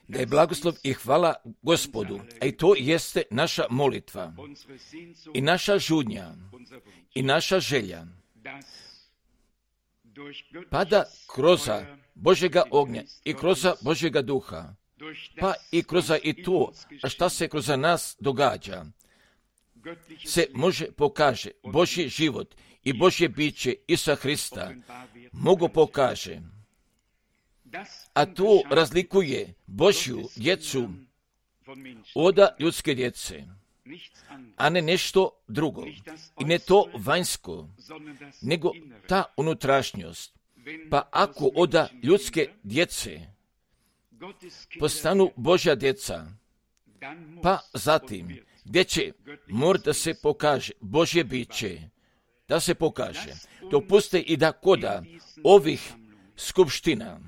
Da je blagoslov i hvala Gospodu, a i to jeste naša molitva i naša žudnja i naša želja, pa da kroz Božjega ognja i kroz Božjega duha, pa i kroz i to, a šta se kroz nas događa, se može pokaže Božji život i Božje biće Isusa Hrista, mogu pokaže. A to razlikuje Božju djecu od ljudske djece, a ne nešto drugo. I ne to vanjsko, nego ta unutrašnjost. Pa ako od ljudske djece postanu Božja djeca, pa zatim gdje će mora da se pokaže Božje biće, da se pokaže. Dopuste i da koda ovih skupština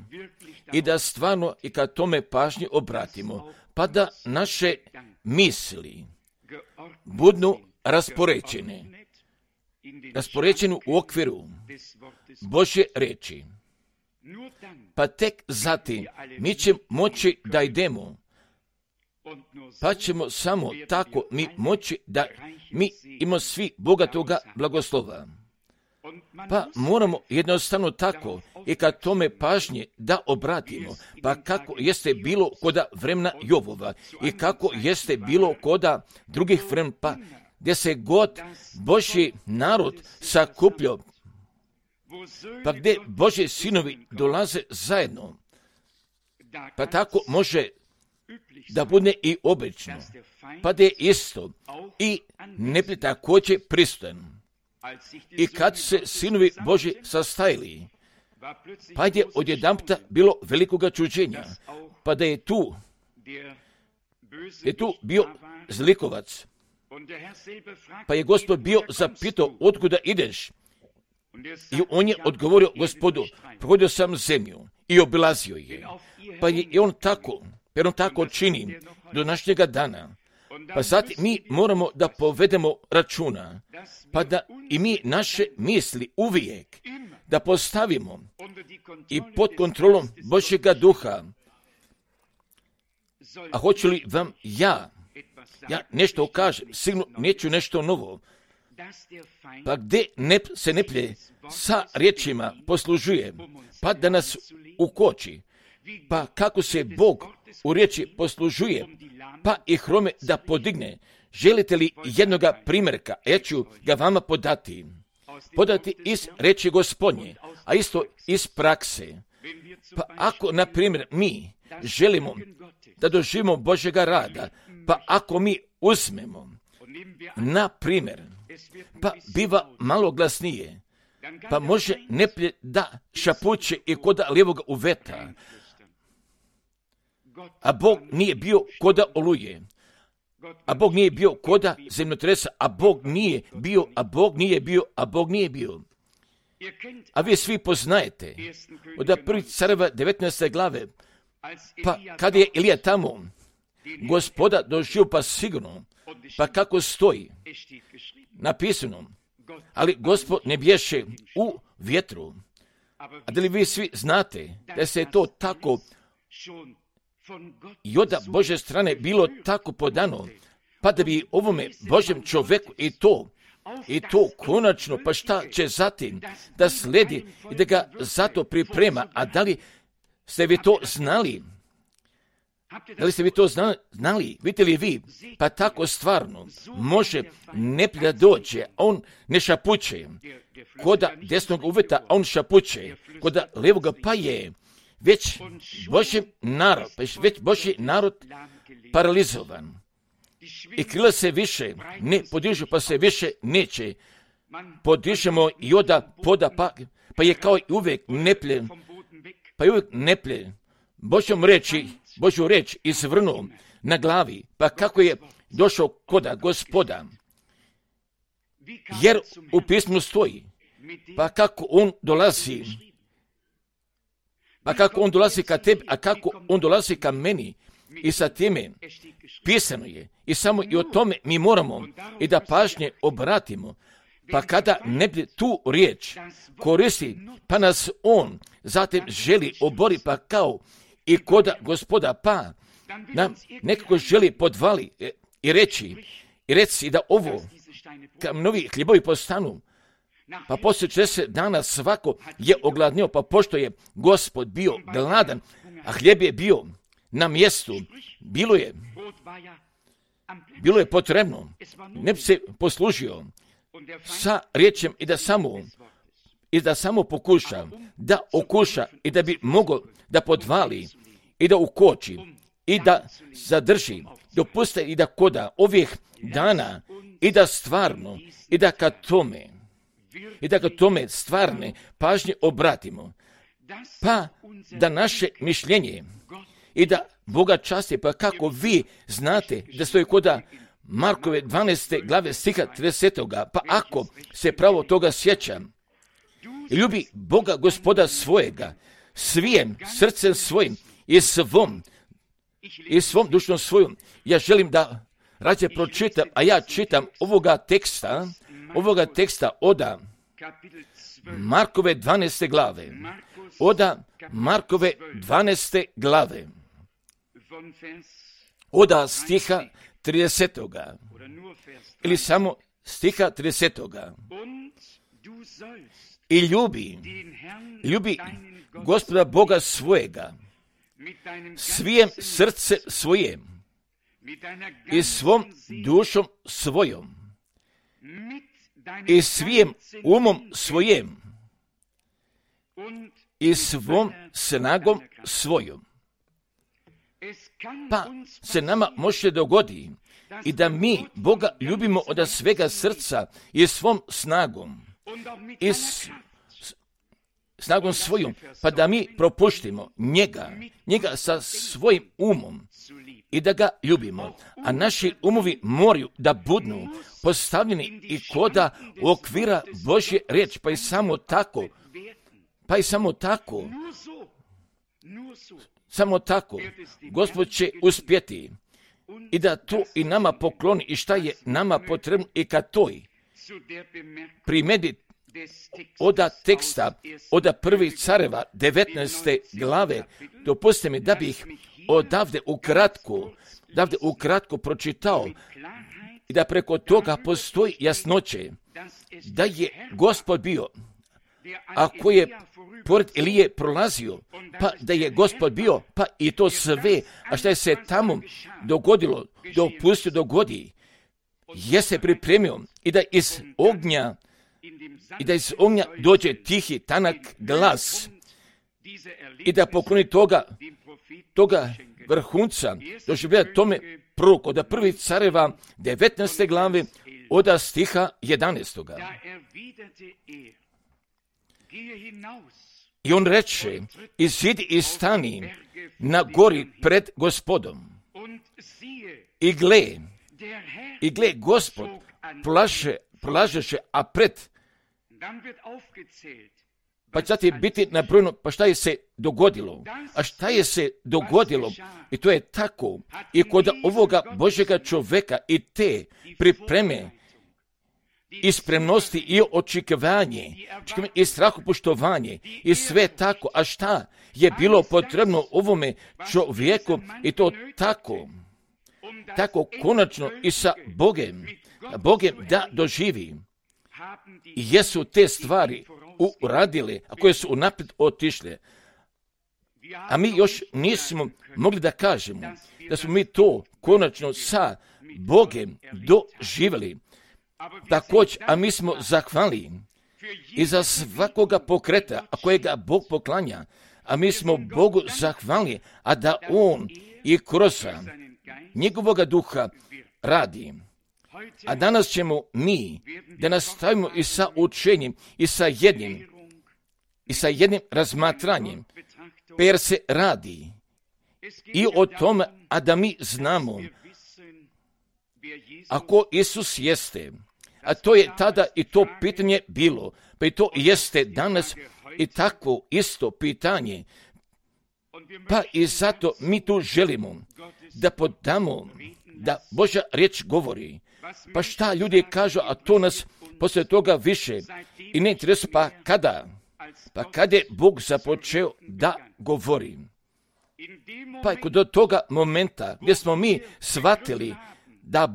i da stvarno i kad tome pažnje obratimo, pa da naše misli budu raspoređene u okviru Božje reči. Pa tek zatim mi ćemo moći da idemo, pa ćemo samo tako mi moći da mi imamo svi bogatoga blagoslova. Pa moramo jednostavno tako i kad tome pažnje da obratimo, pa kako jeste bilo koda vremena Jovova i kako jeste bilo koda drugih vremena, pa gdje se god Božji narod sakupljao, pa gdje Božji sinovi dolaze zajedno, pa tako može da bude i obično, pa da je isto i neprijatelj također prisutan. I kad se sinovi Božji sastajali, pa je odjedanputa bilo velikoga čuđenja, pa da je tu bio zlikovac, pa je Gospod bio zapitao otkuda ideš, i on je odgovorio Gospodu, prohodio sam zemlju i obilazio je, pa je on tako čini do današnjega dana. Pa zatim mi moramo da povedemo računa, pa da i mi naše misli uvijek da postavimo i pod kontrolom Božjega duha. A hoću li vam ja nešto kažem, sigurno neću nešto novo, pa gdje se neplje sa riječima poslužuje, pa da nas ukoči, pa kako se Bog u riječi poslužuje, pa i hrome da podigne. Želite li jednoga primjerka? Ja ću ga vama podati iz riječi Gospodnje, a isto iz prakse. Pa ako, na primjer, mi želimo da doživimo Božjega rada, pa ako mi uzmemo, na primjer, pa biva malo glasnije, pa može neplje da šapuće i koda lijevog uveta, a Bog nije bio koda oluje, a Bog nije bio koda zemljotresa, a Bog nije bio. A vi svi poznajete od prvih careva 19. glave, pa kad je Ilija tamo, Gospoda doživio pa sigurno, pa kako stoji napisano, ali Gospod ne bješe u vjetru. A da li vi svi znate da se je to tako i od Božje strane bilo tako podano, pa da bi ovome Božjem čovjeku i to konačno, pa šta će zatim da slijedi i da ga zato priprema. A da li ste vi to znali? Vidite li vi? Pa tako stvarno može neplje da dođe, a on ne šapuće. Koda desnog uveta, a on šapuće. Koda levoga, pa je već Božji narod paralizovan. I krila se više ne podižu, pa se više neće. Podižemo i oda poda, pa je kao i uvijek neplje. Božju reč izvrnuo na glavi, pa kako je došao koda Gospoda. Jer u pismu stoji, pa kako on dolazi ka tebi, a kako on dolazi ka meni, i sa time pisano je. I samo i o tome mi moramo i da pažnje obratimo. Pa kada ne bi tu riječ koristi, pa nas on zatim želi obori, pa kao i koda Gospoda, pa nam nekako želi podvali i reci da ovo kamenovi hljebovi postanu. Pa poslije 40 dana svako je ogladnio, pa pošto je Gospod bio gladan, a hljeb je bio na mjestu, bilo je potrebno, ne bi se poslužio sa riječem i da samo pokuša, da okuša i da bi mogao da podvali i da ukoči i da zadrži, dopuste i da koda ovih dana i da stvarno i da ka tome stvarne pažnje obratimo, pa da naše mišljenje i da Boga časti, pa kako vi znate da stoji koda Markove 12. glave stiha 30. Pa ako se pravo toga sjeća i ljubi Boga Gospoda svojega svijem srcem svojim i svom dušnom svojom, ja želim da rađe pročitam, a ja čitam ovoga teksta od Markove 12. glave, od stiha 30. ili samo stiha 30. I ljubi Gospoda Boga svojega svijem srce svojem i svom dušom svojom i svijem umom svojem i svom snagom svojom. Pa se nama može dogodi i da mi Boga ljubimo od svega srca i svom snagom i snagom svojom, pa da mi propuštimo njega sa svojim umom i da ga ljubimo. A naši umovi moraju da budnu postavljeni i koda u okvira Božje riječi, pa i samo tako Gospod će uspjeti i da to i nama pokloni i šta je nama potrebno i kad toj primedi od teksta od prvih careva 19. glave, dopustite mi da bih odavde ukratko pročitao i da preko toga postoji jasnoće da je Gospod bio, ako je pored Elije prolazio, pa da je Gospod bio, pa i to sve, a šta je se tamo dogodilo, dopustio dogodi, je se pripremio i da iz ognja dođe tihi, tanak glas i da pokloni toga vrhunca doživlja tome prorok od prvih careva 19. glave od stiha 11. I on reče, izidi i stani na gori pred Gospodom. I gle, Gospod prolažeše, a pred, pa će ti biti nabrojeno, pa šta je se dogodilo? A šta je se dogodilo? I to je tako. I kod ovoga Božjega čoveka i te pripreme i spremnosti i očekivanje i strahopoštovanje i sve tako. A šta je bilo potrebno ovome čovjeku i to tako konačno i sa Bogem da doživi. I jesu te stvari uradile, a koje su unaprijed otišle. A mi još nismo mogli da kažemo da smo mi to konačno sa Bogem doživjeli. Također, a mi smo zahvalni i za svakoga pokreta, a kojega Bog poklanja, a mi smo Bogu zahvalni, a da On i kroz njegovoga duha radi. A danas ćemo mi da nastavimo i sa učenjem i sa jednim razmatranjem, jer se radi i o tome, a da mi znamo ako Isus jeste, a to je tada i to pitanje bilo, pa i to jeste danas i takvo isto pitanje, pa i zato mi tu želimo da podamo da Božja riječ govori. Pa šta ljudi kažu, a to nas poslije toga više i ne interesuje, pa kada je Bog započeo da govori. Pa do toga momenta gdje smo mi shvatili da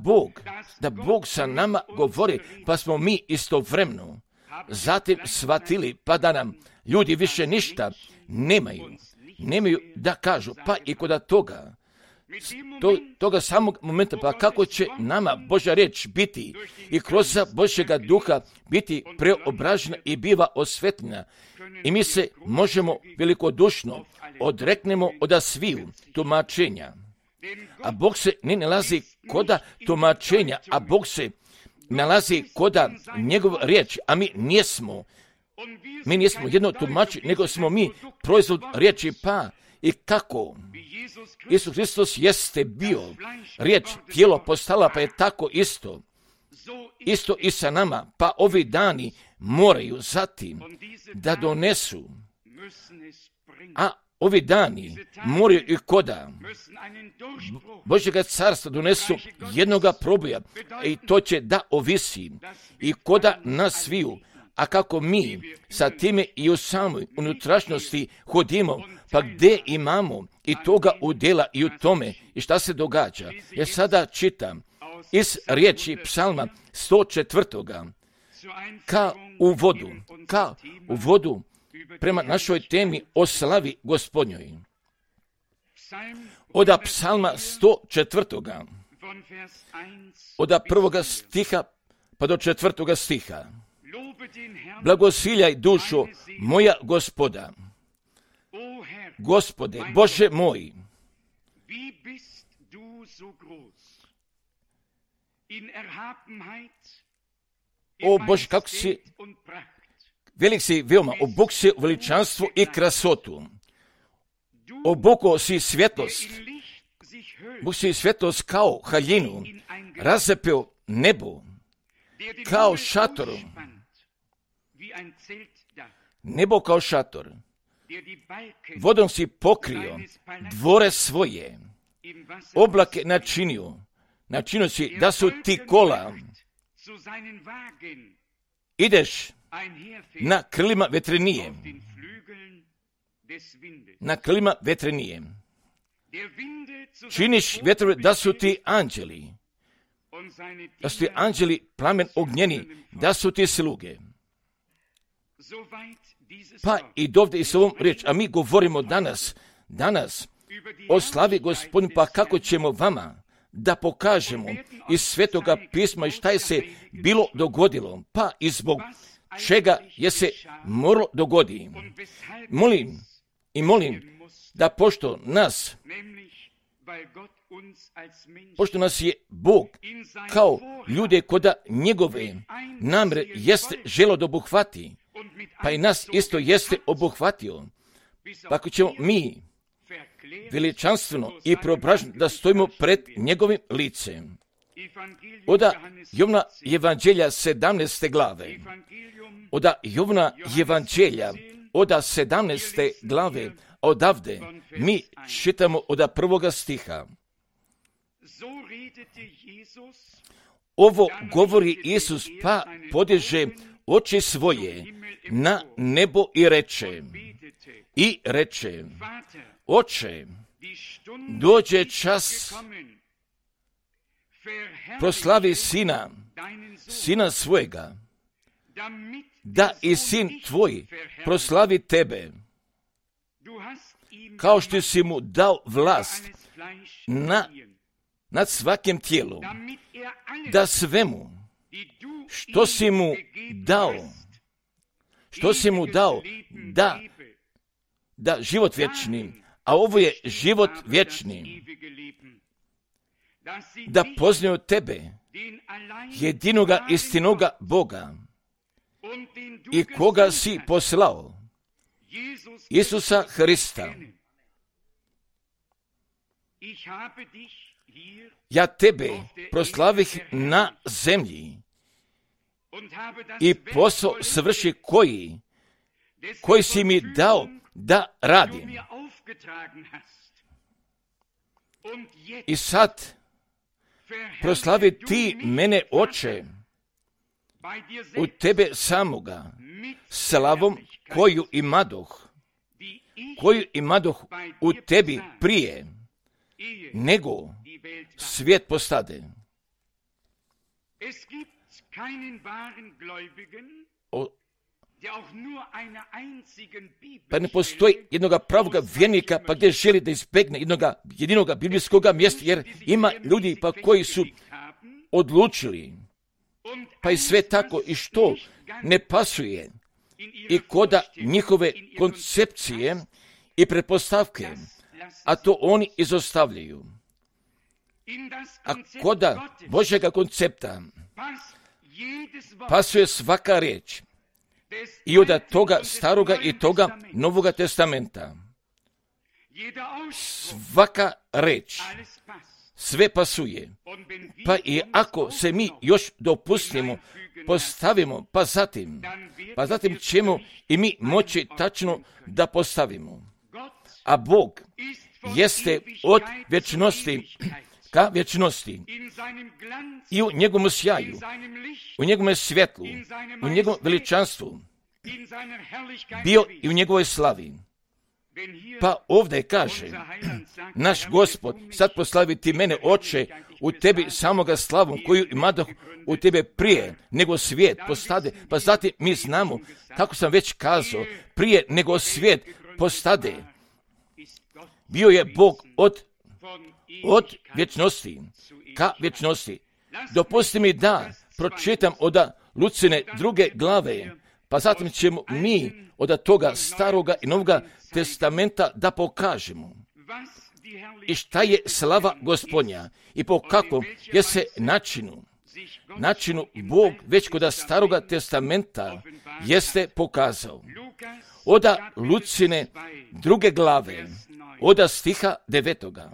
Bog sa nama govori, pa smo mi istovremeno zatim shvatili, pa da nam ljudi više ništa nemaju da kažu, pa i kod toga samog momenta, pa kako će nama Božja riječ biti i kroz Božjega duha biti preobražena i biva osvetljena. I mi se možemo velikodušno odreknemo od sviju tumačenja. A Bog se ne nalazi koda tumačenja, a Bog se nalazi koda njegov riječ, a mi nismo jedno tumačenje, nego smo mi proizvod riječi, pa i kako Isus Hristos jeste bio riječ, tijelo postala, pa je tako isto i sa nama, pa ovi dani moraju zatim da donesu, a ovi dani moraju i koda Božjega carstva donesu jednoga proboja, i to će da ovisi i koda nas sviju. A kako mi sa time i u samoj unutrašnjosti hodimo, pa gdje imamo i toga udjela i u tome i šta se događa. Ja sada čitam iz riječi Psalma 104. Ka u vodu prema našoj temi o slavi Gospodnjoj. Od Psalma 104. od 1. stiha pa do 4. stiha. Blagosiljaj dušo moja Gospoda. Gospode, Bože moj, o Bože, kako si velik si veoma, obuk si veličanstvo i krasotu. Obuko si svjetlost. Bog si svjetlost kao haljinu, razapeo nebo, kao šator. Nebo kao šator. Vodom si pokrio dvore svoje, oblake načinio si da su ti kola. Ideš na krilima vetrenije. Činiš vjetrove da su ti anđeli. Da su ti anđeli plamen ognjeni, da su ti sluge. Pa i dovde i s ovom riječ, a mi govorimo danas o slavi Gospodnju, pa kako ćemo vama da pokažemo iz Svetoga pisma i šta je se bilo dogodilo, pa i zbog čega je se moralo dogoditi. Molim da pošto nas je Bog kao ljude koda njegove namre jeste želo da obuhvati, pa i nas isto jeste obuhvatio, pa ako ćemo mi veličanstveno i preobraženo da stojimo pred njegovim licem. Od Jovna Evanđelja 17. glave. Od Jovna Evanđelja od 17. glave odavde mi čitamo od 1. stiha. Ovo govori Isus, pa podiže oči svoje na nebo i reče, Oče, dođe čas, proslavi sina svojega, da i sin tvoj proslavi tebe, kao što si mu dao vlast nad svakim tijelom, da svemu što si mu dao, da život vječni, a ovo je život vječni, da poznaju tebe, jedinoga istinoga Boga, i koga si poslao, Isusa Hrista. Ja tebe proslavih na zemlji i posao svrši koji si mi dao da radim. I sad proslavi ti mene, Oče, u tebe samoga, slavom koju imadoh koju imadoh u tebi prije, nego svijet postade. Pa ne postoji jednoga pravoga vjernika, pa gdje želi da izbjegne jedinoga biblijskog mjesta, jer ima ljudi pa koji su odlučili, pa i sve tako i što ne pasuje i koda njihove koncepcije i pretpostavke, a to oni izostavljaju. A koda Božjega koncepta pasuje svaka riječ i od toga staroga i toga Novoga testamenta. Svaka riječ, sve pasuje. Pa i ako se mi još dopustimo, postavimo, pa zatim ćemo i mi moći tačno da postavimo. A Bog jeste od vječnosti ka vječnosti i u njegovom sjaju, u njegovom svjetlu, u njegovom veličanstvu bio i u njegovoj slavi. Pa ovdje kaže, naš Gospod, sad poslavi ti mene, Oče, u tebi samoga slavu koju imadoh u tebe prije nego svijet postade. Pa zatim mi znamo, kako sam već kazao, prije nego svijet postade. Bio je Bog od vječnosti ka vječnosti. Dopusti mi da pročitam od Lucine 2. glave, pa zatim ćemo mi od toga staroga i novoga testamenta da pokažemo i šta je slava Gospodnja i po kakvom je se načinu Bog već kod staroga testamenta jeste pokazao. Od Lucine 2. glave, od stiha 9.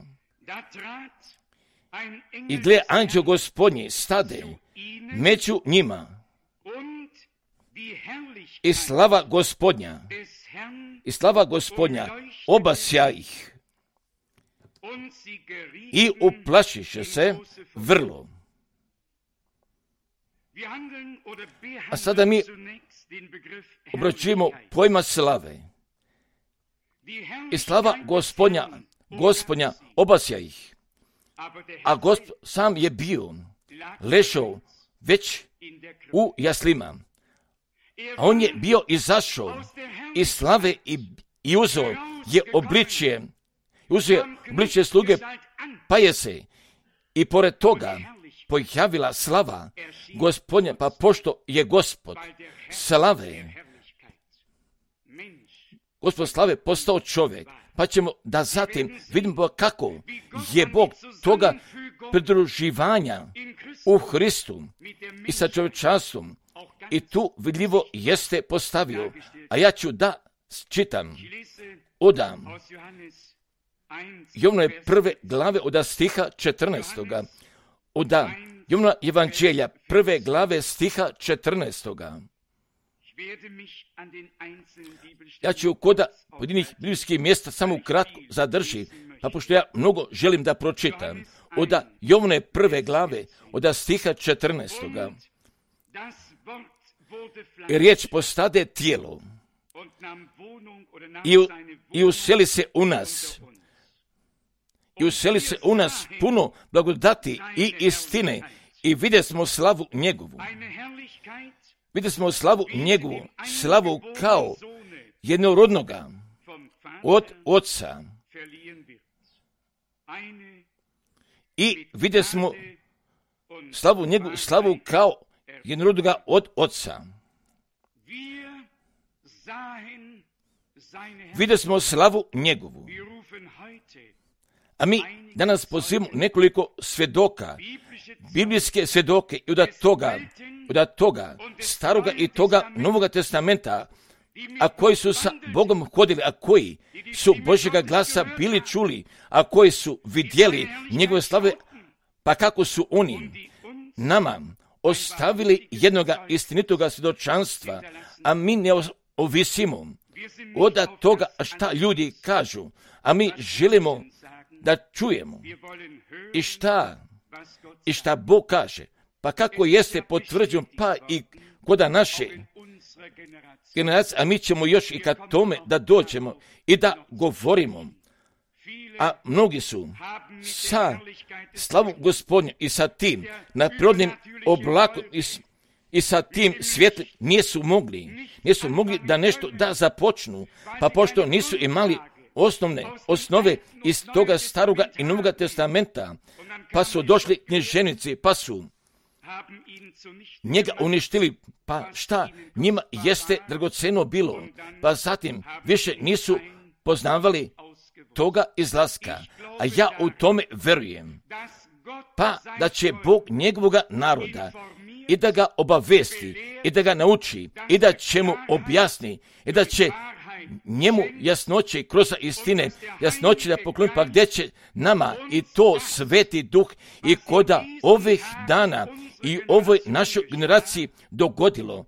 I gle, anđeo Gospodnji stade među njima i slava Gospodnja obasja ih i uplašiše se vrlo. A sada mi obraćujemo pojma slave. I slava Gospodnja obasja ih. A Gospod sam je bio ležao već u jaslima. A on je bio izašao iz slave i uzeo je obličje sluge, pa je se i pored toga pojavila slava Gospodnja, pa pošto je Gospod slave postao čovjek, pa ćemo da zatim vidimo kako je Bog toga pridruživanja u Hristu i sa čovječanstvom i tu vidljivo jeste postavio. A ja ću da čitam od Jovnove 1. glave od stiha 14. Od Jovnova evanđelja 1. glave stiha 14. Ja ću kod pojedinih biblijskih mjesta samo kratko zadrži, pa pošto ja mnogo želim da pročitam. Od Jovnove 1. glave od stiha 14. I riječ postade tijelo i useli se u nas. I useli se u nas puno blagodati i istine i vidjeli smo slavu njegovu. Vidjeli smo slavu njegovu, slavu kao jednorodnoga od Oca. I vidjeli smo slavu njegovu, slavu kao jednorodnoga od Oca. Vidjeli smo slavu njegovu. A mi danas pozivamo nekoliko svjedoka, biblijske svjedoke i od toga staroga i toga Novoga testamenta, a koji su sa Bogom hodili, a koji su Božjega glasa bili čuli, a koji su vidjeli njegove slave, pa kako su oni nama ostavili jednoga istinitoga svjedočanstva, a mi ne ovisimo od toga šta ljudi kažu, a mi želimo da čujemo i šta Bog kaže, pa kako jeste potvrđeno, pa i kod naše generacija, a mi ćemo još i kad tome da dođemo i da govorimo. A mnogi su sa slavom Gospodnjom i sa tim naprirodnim oblakom i sa tim svjetlom nisu mogli da nešto da započnu, pa pošto nisu imali osnove iz toga staroga i novoga testamenta, pa su došli književnici, pa su njega uništili, pa šta njima jeste dragoceno bilo, pa zatim više nisu poznavali toga izlaska, a ja u tome verujem, pa da će Bog njegovoga naroda i da ga obavesti, i da ga nauči, i da će mu objasni, i da će njemu jasnoće kroz istine, jasnoće da pokloni, pa gdje će nama i to Sveti Duh i koda ovih dana i ovoj našoj generaciji dogodilo,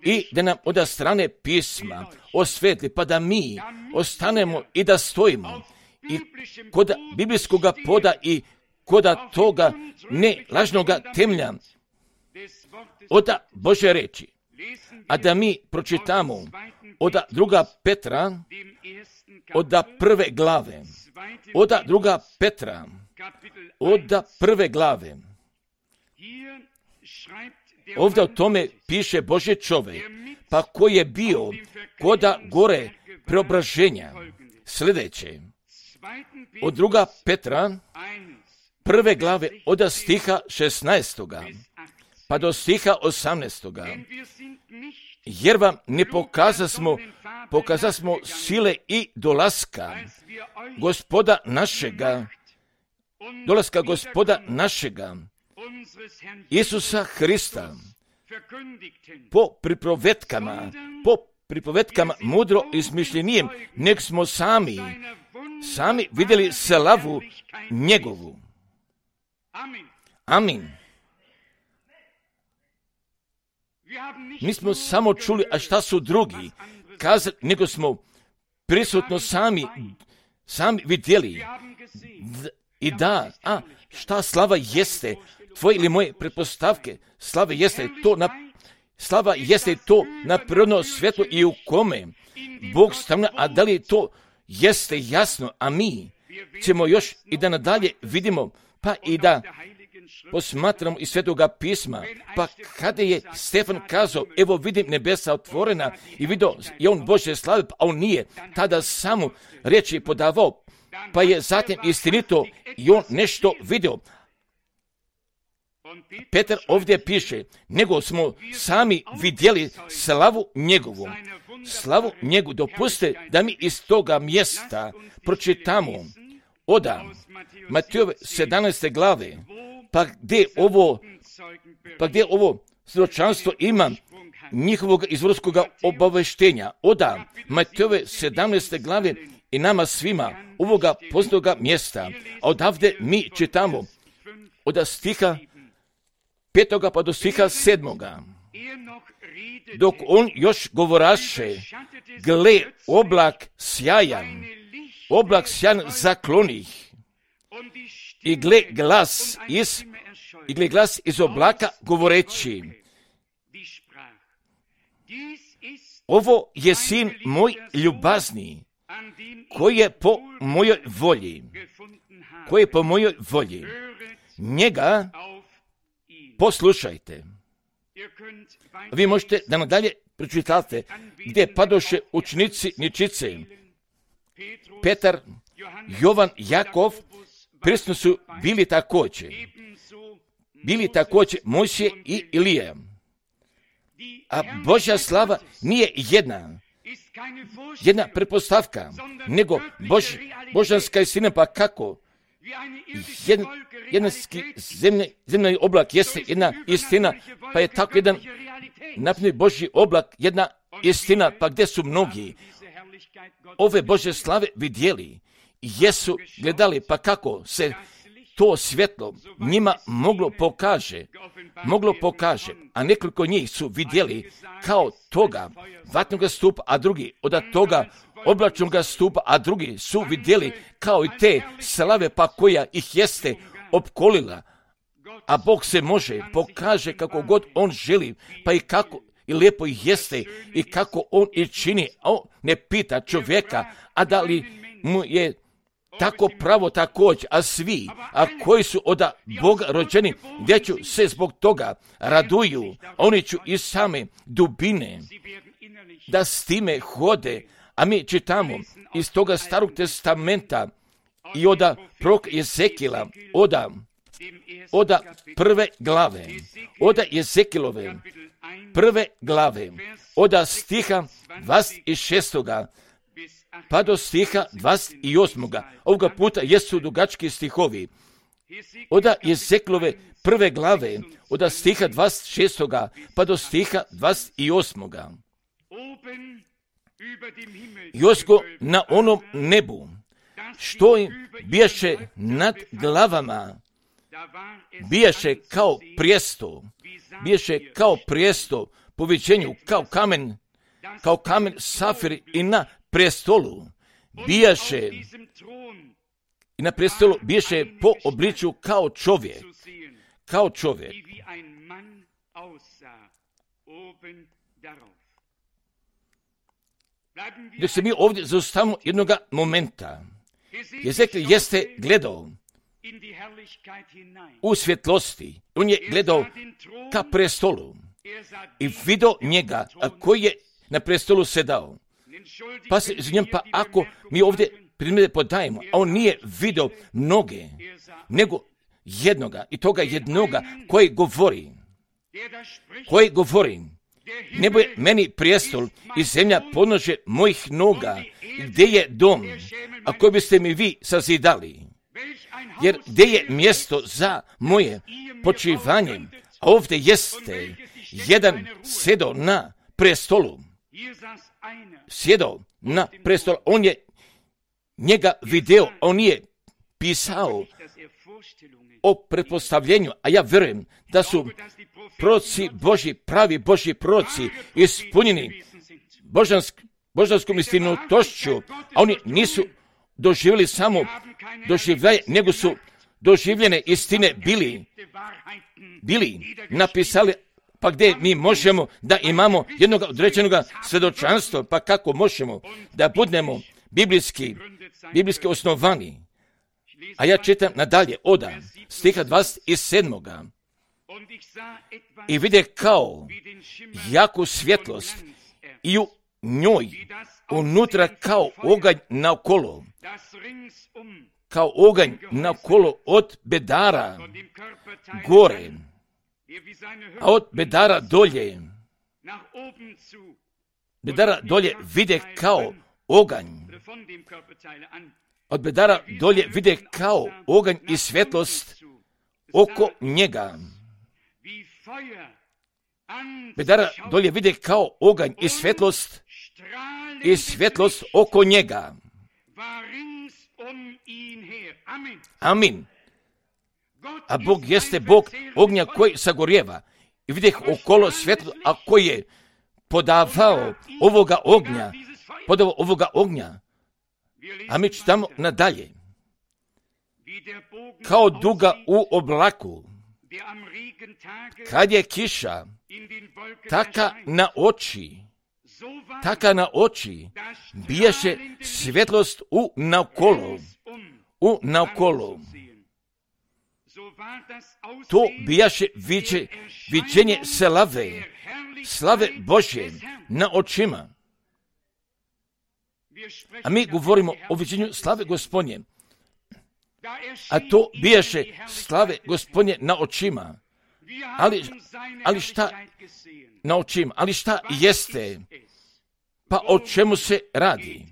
i da nam od strane pisma osvetli, pa da mi ostanemo i da stojimo i kod biblijskog poda i kod toga ne lažnoga temelja od Božje reči, a da mi pročitamo od 2. Petra, od 1. glave, od 2. Petra, od 1. glave. Ovdje o tome piše Božji čovjek, pa koji je bio koda gore preobraženja. Sljedeće, od 2. Petra, 1. glave, od stiha 16. pa do stiha 18. Jer vam ne pokazasmo sile i dolaska Gospoda našega, Isusa Hrista, po pripovetkama mudro izmišljenijem, nek smo sami vidjeli slavu njegovu. Amin. Mi smo samo čuli, a šta su drugi kazali, nego smo prisutno sami vidjeli. I da, šta slava jeste, tvoje ili moje pretpostavke, slava jeste to na prirodno svjetlo i u kome Bog stavlja, a da li to jeste jasno, a mi ćemo još i da nadalje vidimo, pa i da posmatramo iz Svetoga pisma, pa kada je Stefan kazao, evo vidim nebesa otvorena i vidio je on Božje slave, a on nije tada samo riječi podavao, pa je zatim istinito i on nešto vidio. Petar ovdje piše, nego smo sami vidjeli slavu njegovu. Dopustite da mi iz toga mjesta pročitamo od Matejove 17. glave, pa gdje ovo svjedočanstvo ima njihovog izvorskog obaveštenja. Od Matejove 17. glave i nama svima ovoga poznatoga mjesta. A odavde mi čitamo od stiha 5. pa do stiha 7. Dok on još govoraše, gle, oblak sjajan zaklonih, i gle glas iz oblaka govoreći, ovo je sin moj ljubazni, koji je po mojoj volji. Njega poslušajte. Vi možete da nadalje pročitate gdje padoše učenici ničice. Petar, Jovan, Jakov, prisutni su bili također Mojsije i Ilija. A Božja slava nije jedna pretpostavka, nego božanska istina, pa kako? Zemljani oblak jeste jedna istina, pa je tako jedan napredni Božji oblak jedna istina, pa gdje su mnogi ove Božje slave vidjeli, jesu gledali, pa kako se to svjetlo njima moglo pokaže, a nekoliko njih su vidjeli kao toga vatnog stupa, a drugi od toga oblačnog stupa, a drugi su vidjeli kao i te slave, pa koja ih jeste opkolila. A Bog se pokaže kako god on želi, pa i i lijepo jeste i kako on i čini. On ne pita čovjeka, a da li mu je tako pravo također, a svi, koji su od Boga rođeni, gdje ću se zbog toga raduju, oni ću iz same dubine da s time hode, a mi čitamo iz toga Starog testamenta i od prorok Jezekila, od prve glave, od Jezekilove prve glave, od stiha 26. pa do stiha 28. Ovoga puta jesu dugački stihovi. Od Jezekilove prve glave, od stiha 26. pa do stiha 28. Josko na onom nebu, što im bijaše nad glavama, bijaše kao prijesto po viđenju, kao kamen safir i na prestolu bijaše, i na prestolu bijaše po obličju kao čovjek. Dok se mi ovdje zaustavimo jednoga momenta. Jezekil jeste gledao u svjetlosti. On je gledao ka prestolu i vidio njega koji je na prestolu sedao. Pa se izvinjam, pa ako mi ovdje primjere podajemo, a on nije vidio mnoge, nego jednoga, i toga jednoga koji govori, nebo je meni prijestol i zemlja podnožje mojih noga, gdje je dom, a koji biste mi vi sazidali? Jer gdje je mjesto za moje počivanje? A ovdje jeste jedan sjedo na prestolu. On je njega video, on je pisao o pretpostavljenju, a ja vjerujem da su proroci Božji, pravi Božji proroci, ispunjeni božanskom istinitošću, a oni nisu doživjeli samo doživljaje, nego su doživljene istine bili napisali. Pa gdje mi možemo da imamo jednog određenog svjedočanstva, pa kako možemo da budemo biblijski osnovani? A ja čitam nadalje od stiha 27. I vide kao jaku svjetlost i u njoj unutra kao oganj naokolo od bedara gore, a od bedara dolje vide kao oganj. Od bedara dolje vide kao oganj i svjetlost oko njega. Bedara dolje vide kao oganj i svjetlost oko njega. Amin. A Bog jeste Bog ognja koji sagorjeva. I vidjeh okolo svjetlo, a koji je podavao ovoga ognja. A mi čitamo nadalje. Kao duga u oblaku, kad je kiša, taka na oči, bijaše svjetlost u naokolo. To bijaše viđenje slave Božje na očima. A mi govorimo o viđenju slave Gospodnje. A to bijaše slave Gospodnje na očima. Ali šta na očima? Ali šta jeste? Pa o čemu se radi?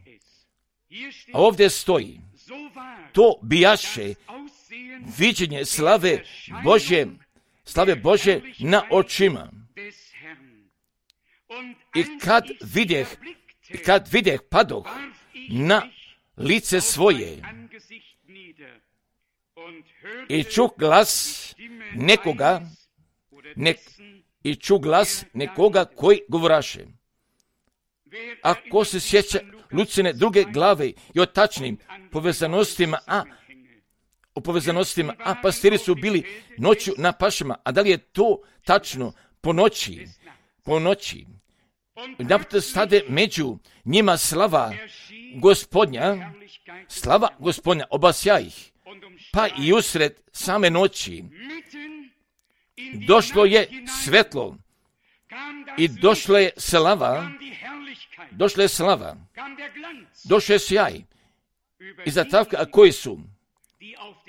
A ovdje stoji. To bijaše viđenje slave Božje na očima. I kad vidjeh padoh na lice svoje i čuh glas nekoga koji govoraše. Ako se sjeća Lucine druge glave i o tačnim povezanostima, pastiri su bili noću na pašama, a da li je to tačno po noći? po noći. Naput stade među njima slava Gospodnja, obasja ih. Pa i usred same noći došlo je svetlo i došla je slava, došao je sjaj. I zatavka koji su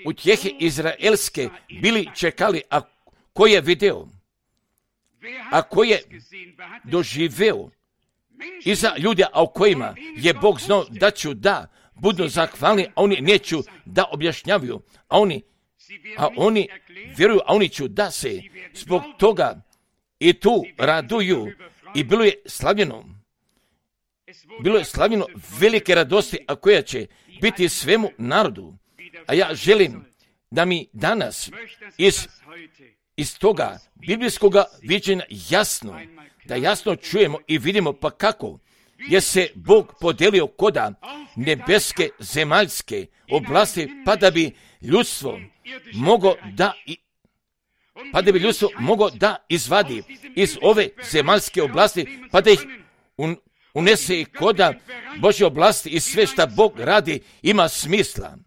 utjehe izraelske bili čekali, a ko je video, a ko je doživeo iza ljudi, a o kojima je Bog znao da ću da budu zahvalni, a oni neću da objašnjavaju, a oni vjeruju, a oni ću da se zbog toga i tu raduju. I bilo je slavljeno velike radosti, a koja će biti svemu narodu. A ja želim da mi danas iz toga biblijskoga viđenja jasno čujemo i vidimo pa kako je se Bog podelio koda nebeske zemaljske oblasti, pa da bi ljudstvo moglo da izvadi iz ove zemaljske oblasti, pa da ih unese i koda Božje oblasti, i sve šta Bog radi ima smisla.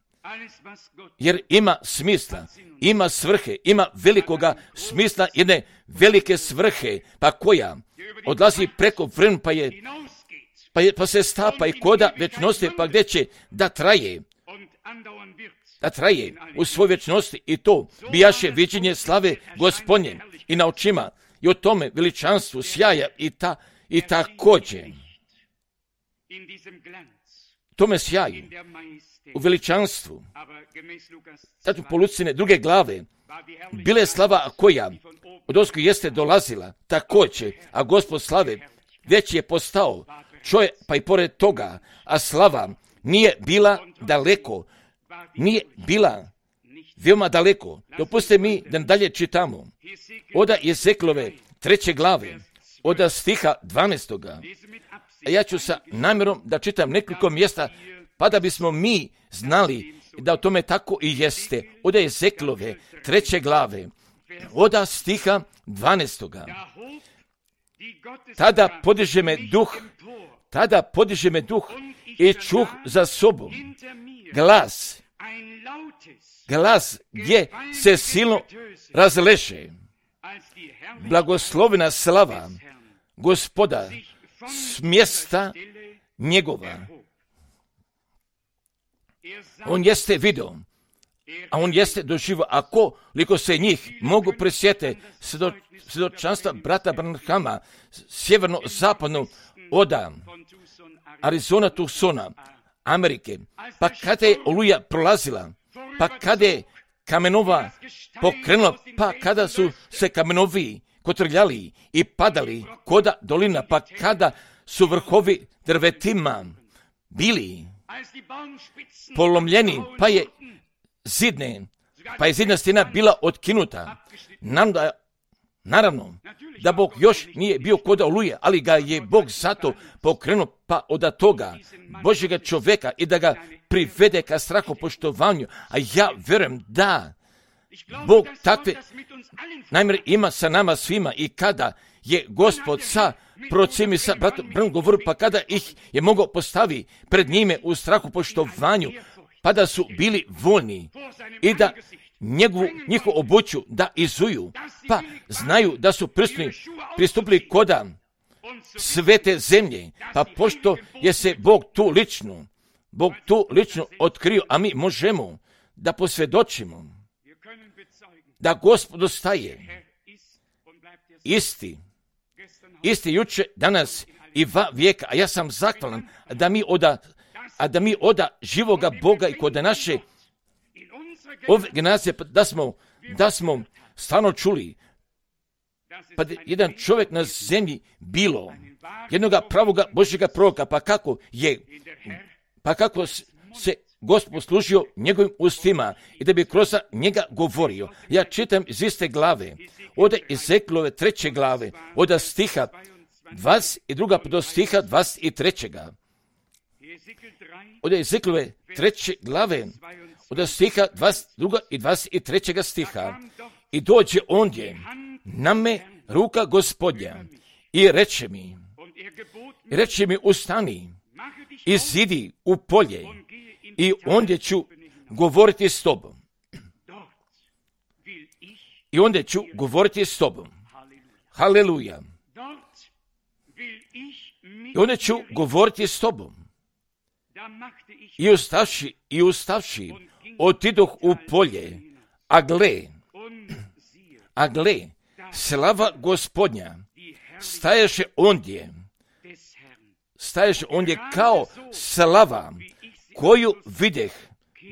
Jer ima smisla, ima svrhe, ima velikoga smisla, jedne velike svrhe, pa koja odlazi preko vremena, pa se stapa i koda večnosti, pa gdje će da traje u svoj večnosti, i to bijaše viđenje slave Gospodnje i na očima, i o tome veličanstvu sjaja i također tome sjaju u veličanstvu. Tačno po Lucine 2. glave bila je slava koja od ozgo jeste dolazila također, a Gospod slave već je postao čovjek, pa i pored toga, a slava nije bila daleko, nije bila veoma daleko. Dopustite mi da dalje čitamo. Oda Ezeklove 3. glave, oda stiha 12. A ja ću sa namjerom da čitam nekoliko mjesta, pa da bismo mi znali da o tome tako i jeste. Oda Ezeklove 3. glave, oda stiha 12. Tada podiže me duh i čuh za sobom glas gdje se silno razleže. Blagoslovena slava Gospoda s mjesta njegova. On jeste video, a on jeste doživio, a koliko se njih mogu presjete svjedočanstva brata Branhama, sjeverno-zapadno oda Arizona, Tucsona, Amerike, pa kada je oluja prolazila, pa kada je kamenova pokrenula, pa kada su se kamenovi kotrljali i padali koda dolina, pa kada su vrhovi drvetima bili polomljeni, pa je zidna stena bila otkinuta. Naravno, da Bog još nije bio koda oluje, ali ga je Bog zato pokrenuo, pa od toga Božjega čovjeka, i da ga privede ka strahopoštovanju. A ja vjerujem da Bog takve namjere ima sa nama svima, i kada je Gospod sa procemi sa bratom Branham govorio, pa kada ih je mogao postavi pred njime u strahopoštovanju, pa da su bili voljni i da njihovu obuću da izuju, pa znaju da su pristupili koda svete zemlje, pa pošto je se Bog tu lično otkrio, a mi možemo da posvjedočimo da Gospod ostaje isti juče, danas i vijeka, a ja sam zahvalan da mi oda živoga Boga i kod naše ove generacije da smo stvarno čuli, pa jedan čovjek na zemlji bilo jednoga pravoga Božjega proroka, pa kako se Gospod služio njegovim ustima i da bi kroz njega govorio. Ja čitam iz iste glave, od Ezeklove 3. glave, od stiha 22. do stiha 23. Od Ezeklove 3. glave, od stiha 22. i 23. stiha. I dođe ondje na me ruka Gospodnja i reče mi ustani, izidi u polje i ondje ću govoriti s tobom. Haleluja. I onda ću govoriti s tobom. I ustavši, otidoh u polje, a gle, slava Gospodnja staješe ondje kao slava koju videh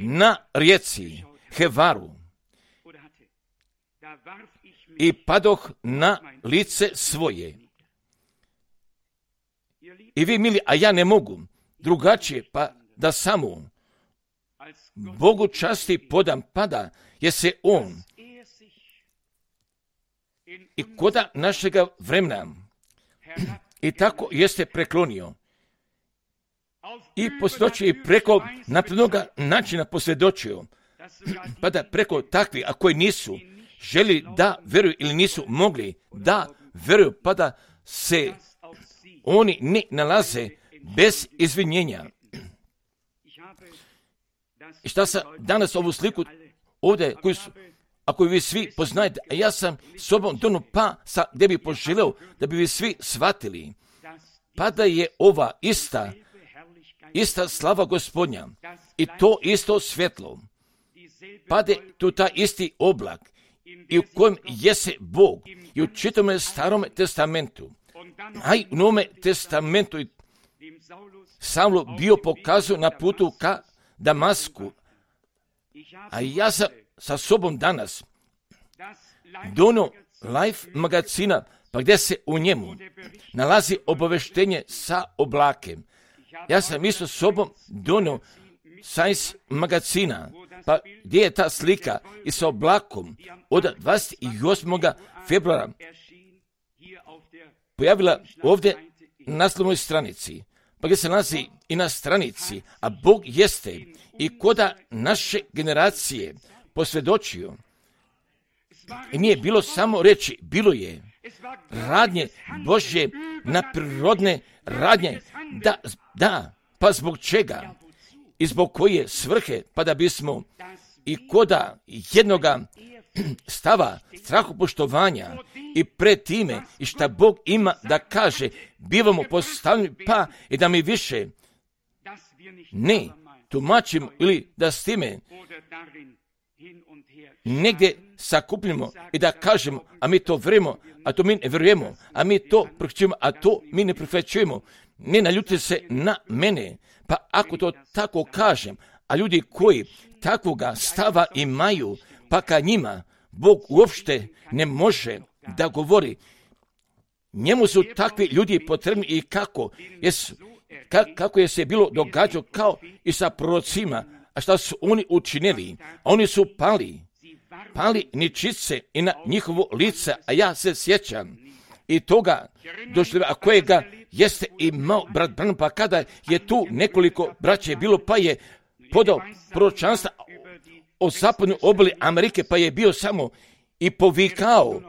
na rijeci Hevaru. I padoh na lice svoje. I vi, mili, a ja ne mogu drugačije, pa da samo Bogu časti podam pada, jer se On i koda našega vremena i tako jeste preklonio i posvjedočio i preko naprednoga načina posvjedočio, pa da preko takvi, a koji nisu želi da veruju ili nisu mogli da veruju, pa da se oni ne nalaze bez izvinjenja. I šta sam danas ovu sliku ovdje, ako vi svi poznajete, a ja sam sobom donio pa gdje bi poželeo da bi vi svi shvatili, pa da je ova ista slava Gospodnja i to isto svjetlo, pa da je tu taj isti oblak i u kojem jese Bog i u čitome Starom testamentu, a i u Novome testamentu Savlu bio pokazao na putu ka Damasku, a ja sam sa sobom danas donio Life magazina, pa gdje se u njemu nalazi obaveštenje sa oblakem. Ja sam isto sobom donio Science magazina, pa gdje je ta slika i sa oblakom od 28. februara pojavila ovdje na naslovnoj stranici, pa gdje se nalazi i na stranici, a Bog jeste i koda naše generacije posvjedočio. I nije bilo samo reći, bilo je radnje Božje na prirodne radnje, pa zbog čega i zbog koje svrhe, pa da bismo i koda jednoga stava strahopoštovanja i pred time i šta Bog ima da kaže, bivamo postavljeni, pa i da mi više ne tumačimo ili da s time negdje sakupljamo i da kažemo, a mi to verujemo, a to mi ne verujemo, a mi to prihvaćujemo, a to mi ne prihvaćujemo. Ne naljutite se na mene, pa ako to tako kažem, a ljudi koji takvoga stava imaju, pa ka njima Bog uopšte ne može da govori. Njemu su takvi ljudi potrebni i kako je se bilo događalo kao i sa prorocima, a šta su oni učinili? Oni su pali ničice i na njihovo lice, a ja se sjećam i toga doživljaja kojega jeste imao brat Branham, pa kada je tu nekoliko braće bilo, pa je podao proročanstva o zapadnoj obali Amerike, pa je bio samo i povikao,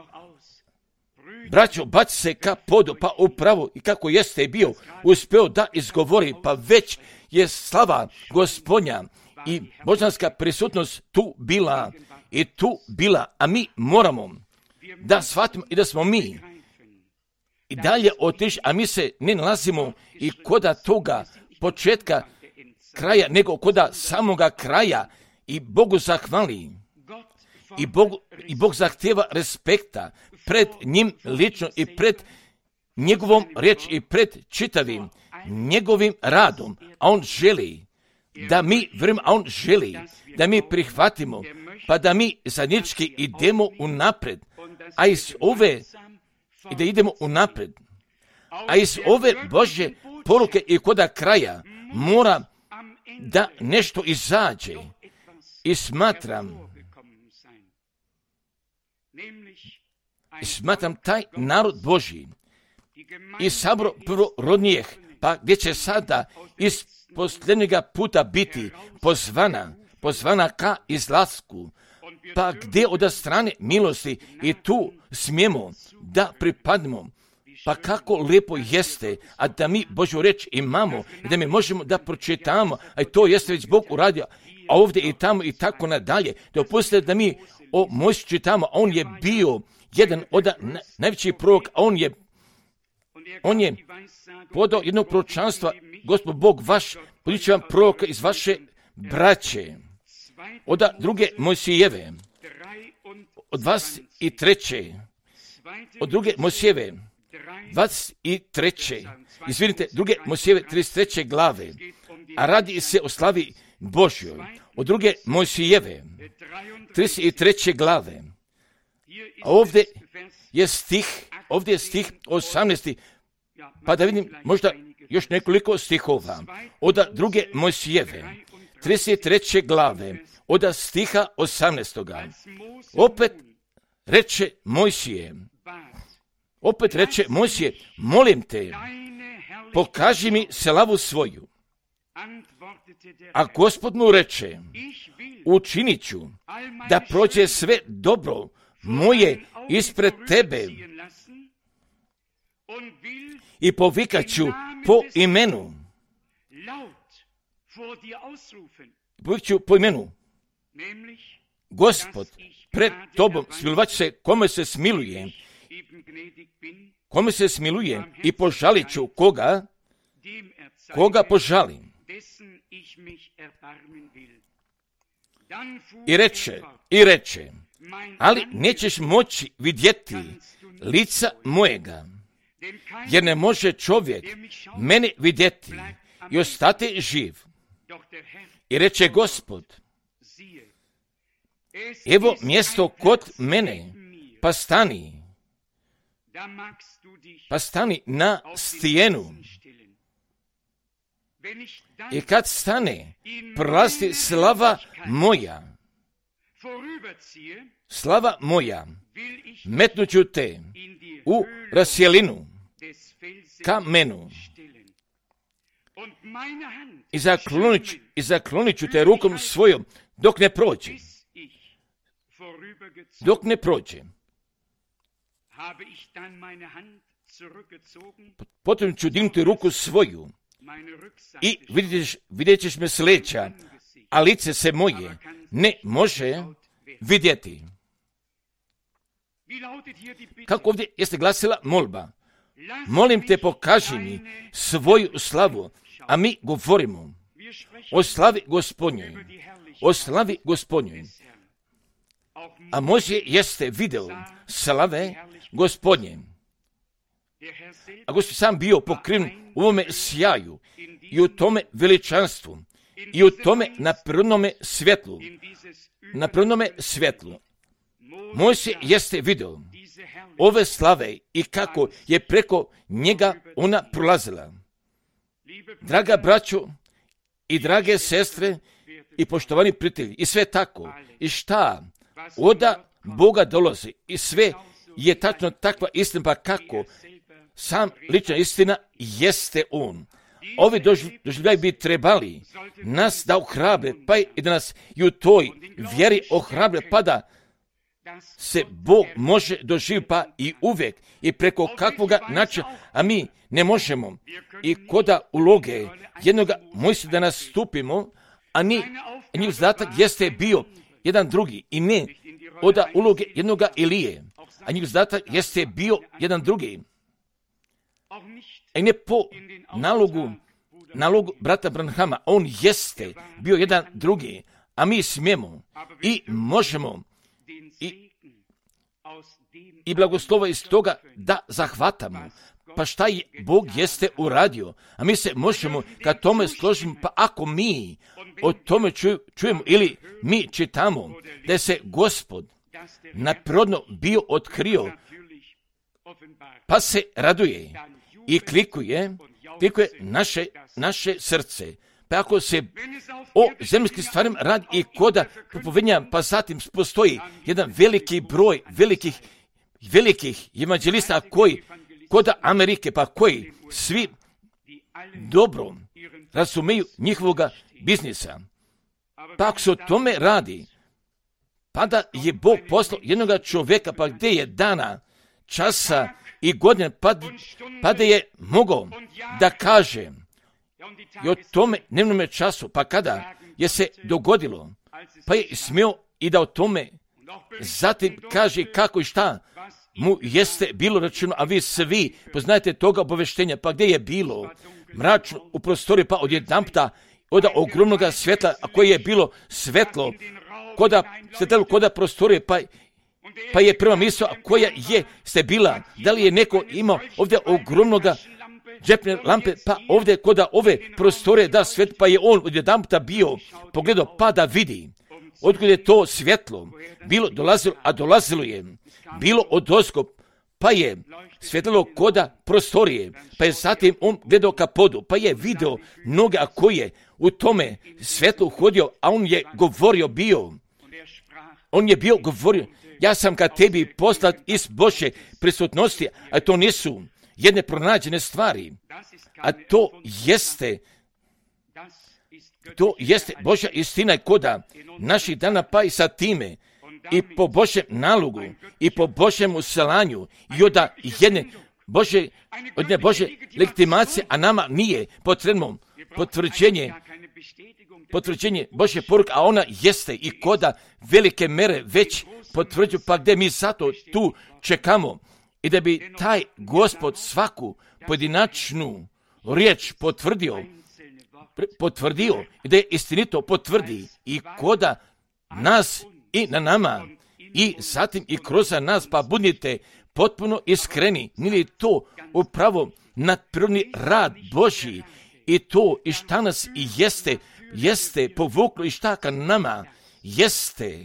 braćo, baci se ka podu, pa upravo i kako jeste bio uspio da izgovori, pa već je slava Gospodnja i božanska prisutnost tu bila, a mi moramo da shvatimo i da smo mi i dalje otišli, a mi se ne nalazimo i koda toga početka kraja, nego koda samoga kraja i Bogu zahvali. I Bog zahtjeva respekta pred njim lično i pred njegovom riječi i pred čitavim njegovim radom, a on želi da mi vremena, a on želi da mi prihvatimo, pa da mi zajednički idemo unapred, a iz ove i da idemo unapred, a iz ove Božje poruke i koda kraja mora da nešto izađe. I smatram taj narod Božji i sabor prvorodnijeh, pa gdje će sada iz posljednjega puta biti pozvana ka izlasku, pa gdje od strane milosti i tu smijemo da pripadnemo, Pa kako lijepo jeste, a da mi Božju reč imamo i da mi možemo da pročitamo, a to jeste već Bog uradio, a ovdje i tamo i tako nadalje. Dopustite da mi o Mojsiju čitamo, on je bio jedan od najvećih proroka, on je podao jednog proročanstva, Gospod Bog vaš, podići vam proroka iz vaše braće, od druge Mojsijeve, od 23. Od druge Mojsijeve, 23. Izvinite, druge Mojsijeve 33. glave, a radi se o slavi Božjoj. Od druge Mojsijeve, 33. glave, a ovdje je stih 18. Pa da vidim možda još nekoliko stihova. Od druge Mojsijeve, 33. glave, od stiha 18. Opet reče Mojsije, molim te, pokaži mi slavu svoju. A Gospod mu reče, učinit ću da prođe sve dobro moje ispred tebe i povikat ću po imenu. Gospod pred tobom smilovat će se kome se smiluje i požalit ću koga požalim. I reče, ali nećeš moći vidjeti lica mojega, jer ne može čovjek mene vidjeti i ostati živ. I reče Gospod, evo mjesto kod mene, pa stani na stijenu. I kad stane, prolazi slava moja, metnuću te u rasjelinu kamenu i zaklonit ću te rukom svojom dok ne prođe. Potom ću dignuti ruku svoju i vidjet ćeš me s leđa, a lice se moje ne može vidjeti. Kako ovdje jeste glasila molba? Molim te, pokaži mi svoju slavu, a mi govorimo o slavi Gospodnjoj. A Mojsije jeste video slave Gospodnje. A Gospod sam bio pokriven u ovome sjaju i u tome veličanstvu i u tome naprednome svjetlu. Mojsije jeste video ove slave i kako je preko njega ona prolazila. Draga braćo i drage sestre i poštovani prijatelji, i sve tako, i šta oda Boga dolazi, i sve je tačno takva istina, pa kako sam lična istina jeste On. Ovi doživljaj bi trebali nas da ohrabre, pa i da nas i u toj vjeri ohrabre, pa da se Bog može doživjeti, pa i uvijek i preko kakvoga načina, a mi ne možemo i koda uloge jednoga Mojsija da nastupimo, a njih zadatak jeste bio jedan drugi i ne od uloge jednoga Ilije, a njih zadatak jeste bio jedan drugi. I ne po nalogu brata Branhama, on jeste bio jedan drugi, a mi smijemo i možemo i blagoslova iz toga da zahvatamo. Pa šta je Bog jeste uradio? A mi se možemo kad tome složimo, pa ako mi o tome čujemo ili mi čitamo da je se Gospod naprodno bio otkrio, pa se raduje i klikuje naše srce. Pa ako se o zemljskim stvarima radi i koda propovednja, pa zatim postoji jedan veliki broj velikih evanđelista koji koda Amerike, pa koji svi dobro razumiju njihovoga biznisa. Pa ako se o tome radi, pa da je Bog poslao jednoga čovjeka, pa gdje je dana časa i godine, pa da je mogao da kaže i o tome dnevnome času, pa kada je se dogodilo, pa je smio i da o tome zatim kaže kako i šta mu jeste bilo rečeno, a vi svi poznajete toga obaveštenja, pa gdje je bilo mračno u prostoriju, pa odjedanputa od ogromnog svjetla, a koje je bilo svetlo, koda prostorije, pa je prva misao, a koja je ste bila, da li je neko imao ovdje ogromnog džepne lampe, pa ovdje koda ove prostore da svet, pa je on odjedanputa bio pogledao, pa da vidi odkud je to svjetlo bilo dolazilo, a dolazilo je bilo odozgo, pa je svjetlilo koda prostorije, pa je zatim on gledao ka podu, pa je video noge, a koji je u tome svjetlu uhodio, a on je govorio bio. On je bio govorio, ja sam ka tebi poslat iz Božje prisutnosti, a to nisu jedne pronađene stvari, a to jeste Božja istina i koda naših dana, pa i sa time i po Božjem nalogu i po Božjem uselanju i od jedne Božje legitimacije, a nama nije potrebno potvrđenje Božje poruke, a ona jeste i koda velike mere već potvrđuju, pa gdje mi zato tu čekamo i da bi taj Gospod svaku pojedinačnu riječ potvrdio i da je istinito potvrdi i koda nas i na nama i zatim i kroz nas, pa budite potpuno iskreni, nije to upravo nadprirodni rad Božji i to i šta nas i jeste povuklo i šta ka nama jeste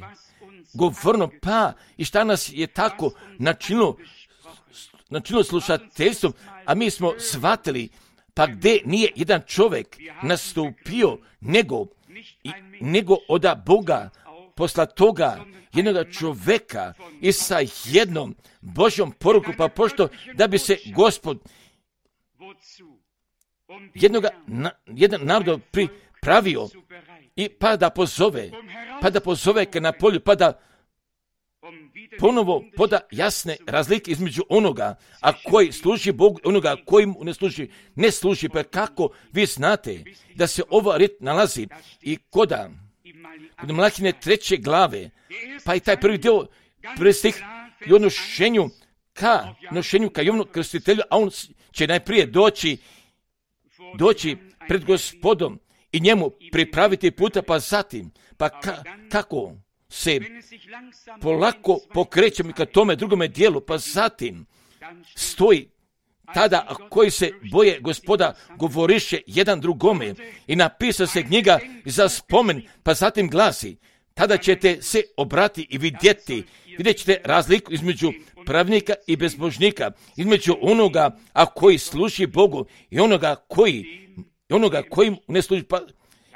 govorno, pa i šta nas je tako načinilo slušateljstvom, a mi smo shvatili, pa gdje nije jedan čovjek nastupio nego od Boga posla toga jednog čovjeka i sa jednom Božjom poruku, pa pošto da bi se Gospod jedan narod pripravio i pa da pozove ka na polju, pa da ponovo poda jasne razlike između onoga, a koji služi Bogu, onoga koji mu ne služi, pa kako vi znate da se ova rit nalazi i kod Malahine 3. glave, pa i taj prvi dio prstih i odnošenju ka Jovanu Krstitelju, a on će najprije doći pred Gospodom i njemu pripraviti puta, pa zatim, kako se polako pokrećemo ka tome drugome dijelu, pa zatim stoji tada koji se boje Gospoda govoriše jedan drugome i napisa se knjiga za spomen, pa zatim glasi, tada ćete se obrati i vidjet ćete razliku između pravnika i bezbožnika, između onoga a koji služi Bogu i onoga koji ne služi, pa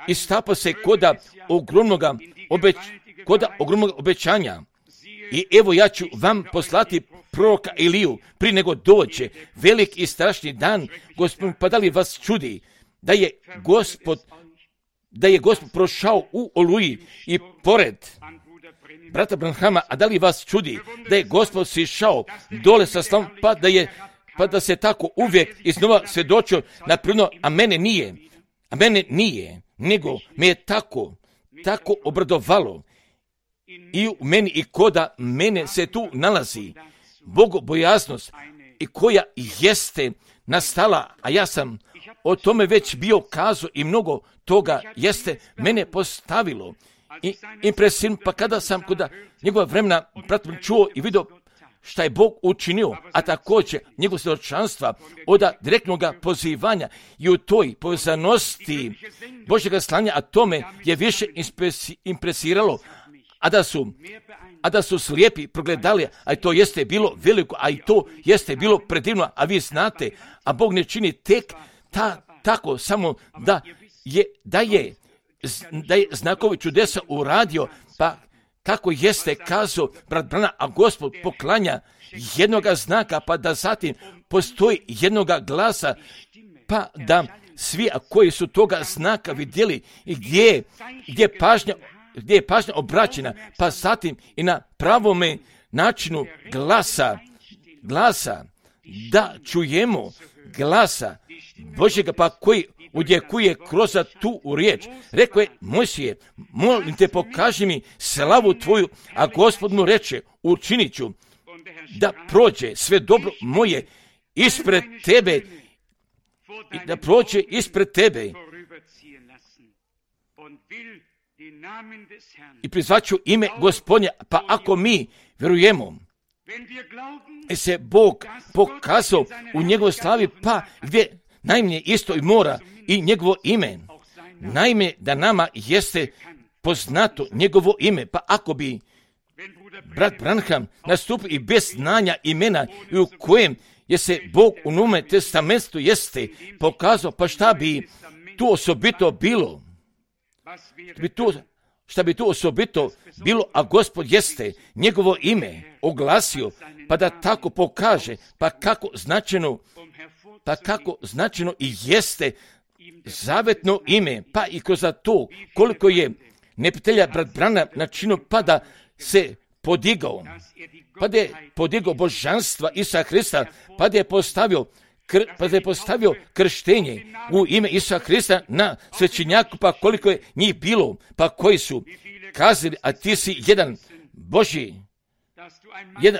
istapa se koda ogromnog obećanja. I evo ja ću vam poslati proroka Iliju prije nego dođe velik i strašni dan, Gospod, pa da li vas čudi da je Gospod prošao u Oluji i pored brata Branhama, a da li vas čudi da je Gospod sišao dole sa slavom, pa da se tako uvijek iznova svjedočio naprirodno, a mene nije, nego me je tako obradovalo i u meni i koda mene se tu nalazi bogobojaznost i koja jeste nastala, a ja sam o tome već bio kazao i mnogo toga jeste mene postavilo i impresivno, pa kada sam kod njegova vremena čuo i vidio šta je Bog učinio, a također njegov svjedočanstva od direktnog pozivanja i u toj povezanosti Božjega slanja, a tome je više impresiralo, a da su slijepi progledali, a to jeste bilo veliko, a i to jeste bilo predivno, a vi znate, a Bog ne čini tek tako samo da je znakovi čudesa uradio, pa kako jeste kazao brat Brana, a Gospod poklanja jednoga znaka, pa da zatim postoji jednoga glasa, pa da svi koji su toga znaka vidjeli i gdje je pažnja obraćena, pa zatim i na pravome načinu glasa da čujemo glasa Božjega, pa koji udjekuje kroz tu riječ. Rekao je Mojsije, molim te, pokaži mi slavu tvoju, a Gospod mu reče, učinit ću da prođe sve dobro moje ispred tebe, i da prođe ispred tebe. I prizvaću ime Gospodnja, pa ako mi vjerujemo, se Bog pokazao u njegovoj slavi, pa gdje najmanje isto i mora i njegovo ime. Naime, da nama jeste poznato njegovo ime, pa ako bi brat Branham nastupio i bez znanja imena i u kojem je se Bog u Novome testamentu jeste pokazao, pa šta bi tu osobito bilo? Šta bi tu osobito bilo, a Gospod jeste njegovo ime oglasio, pa da tako pokaže, pa kako značajno i jeste zavetno ime, pa i kroz to koliko je neprijatelja brat Branham načinio, pa da se podigao božanstva Isusa Hrista, pa da je postavio krštenje u ime Isusa Hrista na svećenjaku, pa koliko je njih bilo, pa koji su kazali, a ti si jedan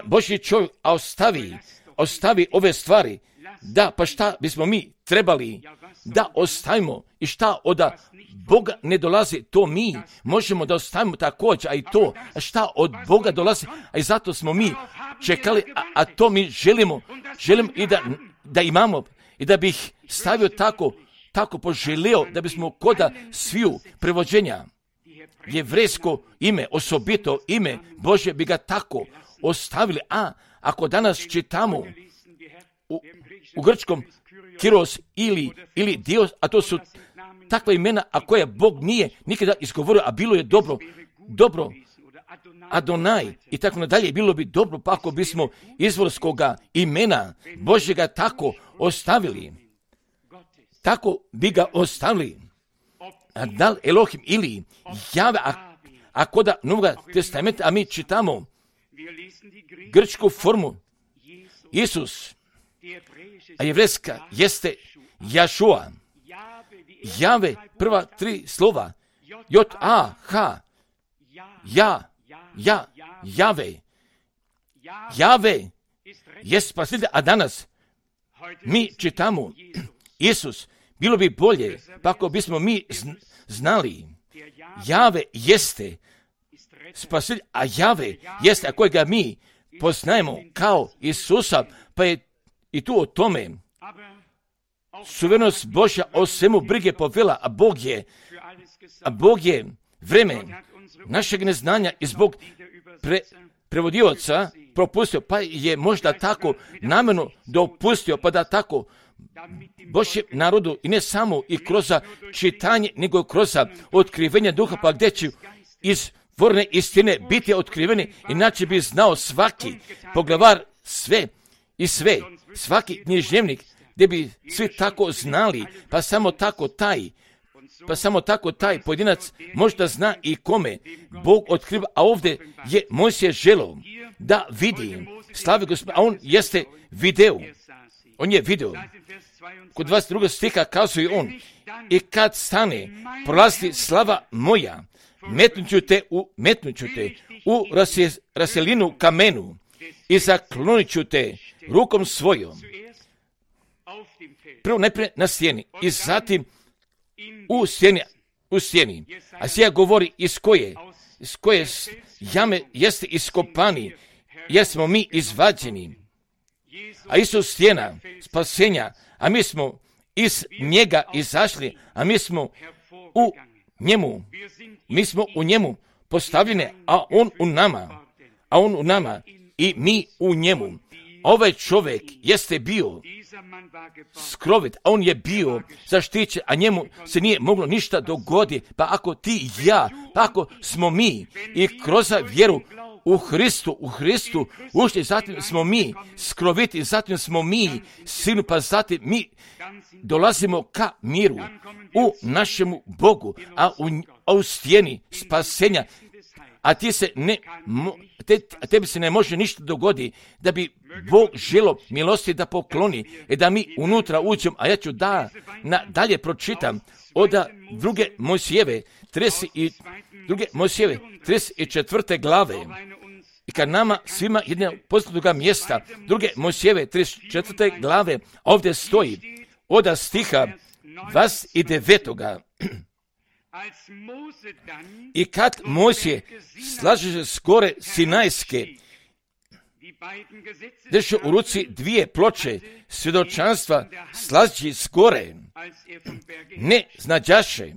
Božji čovjek, a ostavi ove stvari. Da, pa šta bismo mi trebali da ostavimo i šta od Boga ne dolazi, to mi možemo da ostavimo također, a i to, a šta od Boga dolazi, a i zato smo mi čekali, a to mi želim i da imamo, i da bih stavio tako poželio, da bismo koda sviju prevođenja jevrejsko ime, osobito ime Božje, bi ga tako ostavili. A ako danas čitamo u grčkom Kyrios ili Dios, a to su takva imena, a koje Bog nije nikada izgovorio, a bilo je dobro, Adonai i tako nadalje, bilo bi dobro, pa ako bismo izvorskoga imena Božjega tako ostavili, tako bi ga ostavili. A da li Elohim ili Jave, a koda Novoga testamenta, a mi čitamo grčku formu Isus, a jevrejska jeste Jašua. Jave, prva 3 slova, J-A-H, Jave. Jave je spasitelj, a danas mi čitamo Isus. Bilo bi bolje, pa ako bismo mi znali, Jave jeste spasitelj, a Jave jeste, a kojega mi poznajemo kao Isusa, pa je i tu o tome suverenost Božja o svemu brige povela, a Bog je vreme našeg neznanja i zbog prevodioca propustio, pa je možda tako namjerno dopustio, pa da tako Božjem narodu i ne samo i kroz čitanje, nego kroz otkrivenje duha, pa gdje će izvorne istine biti otkrivene, inače bi znao svaki poglavar svaki književnik, gdje bi svi tako znali, pa samo tako taj pojedinac možda zna i kome Bog otkriva, a ovdje je Mojsije želeo da vidi slavu Gospoda, a on je video. Kod 22. stiha kazuje on, i kad stane prolazi slava moja, metnut ću te u raselinu kamenu i zaklonit ću te rukom svojom. Prvo najprije na stijeni i zatim u stijeni. A Sija govori iz koje jame jeste iskopani, jer smo mi izvađeni. A Isus stijena spasenja, a mi smo iz njega izašli, a mi smo u njemu postavljeni, a on u nama i mi u njemu. Ovaj čovjek jeste bio skrovit, a on je bio zaštićen, a njemu se nije moglo ništa dogoditi. Pa ako ti i ja, pa ako smo mi i kroz vjeru u Hristu ušli, zatim smo mi skroviti, zatim smo mi sinu, pa zatim mi dolazimo ka miru u našemu Bogu, a u stijeni spasenja, a tebi se ne može ništa dogoditi, da bi Bog želo milosti da pokloni i da mi unutra uđemo, a ja ću dalje pročitam od druge Mojsijeve 34. glave. I kad nama svima jednog poznatoga mjesta, druge Mojsijeve 34. glave, ovdje stoji od stiha 29. I kad Mojsije slaže s gore Sinajske, drži u ruci dvije ploče svjedočanstva, slaži s gore, ne znađaše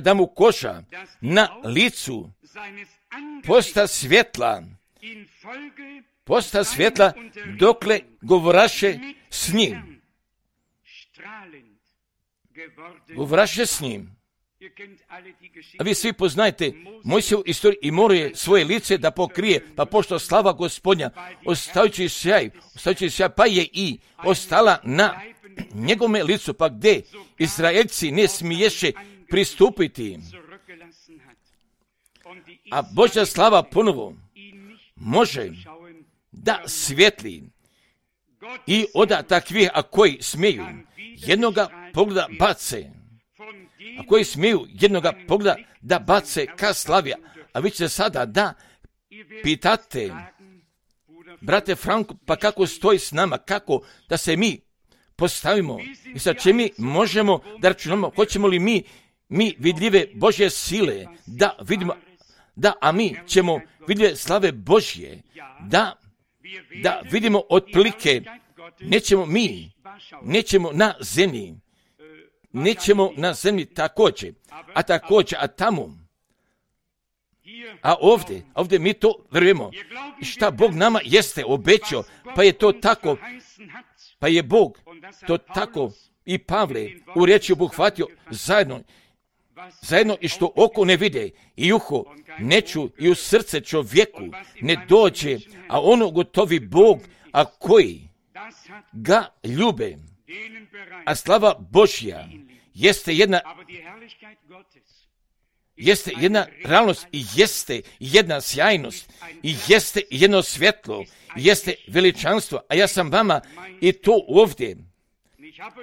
da mu koža na licu posta svjetla dokle govoraše s njim. Govoraše s njim. A vi svi poznajete Mojsijevu istoriju i morao je svoje lice da pokrije, pa pošto slava Gospodnja, ostajući sjaj, pa je i ostala na njegovome licu, pa gdje Izraelci ne smiješe pristupiti. A Božja slava ponovo može da svijetli i od takvih, a koji smiju jednoga pogleda bace, da bace ka slavi. A vi ćete sada da pitate, brate Franko, pa kako stoji s nama, kako da se mi postavimo i sa čim mi možemo da računamo, hoćemo li mi vidljive Božje sile da vidimo, a mi ćemo vidljive slave Božje da vidimo otprilike, nećemo na zemlji također, a tamo, a ovdje mi to vjerujemo, šta Bog nama jeste obećao, pa je to tako, pa je Bog to tako i Pavle u riječi obuhvatio zajedno i što oko ne vide i uho ne ču i u srce čovjeku ne dođe, a ono gotovi Bog, a koji ga ljube. A slava Božja jeste jedna realnost i jeste jedna sjajnost i jeste jedno svjetlo, jeste veličanstvo. A ja sam vama i to ovdje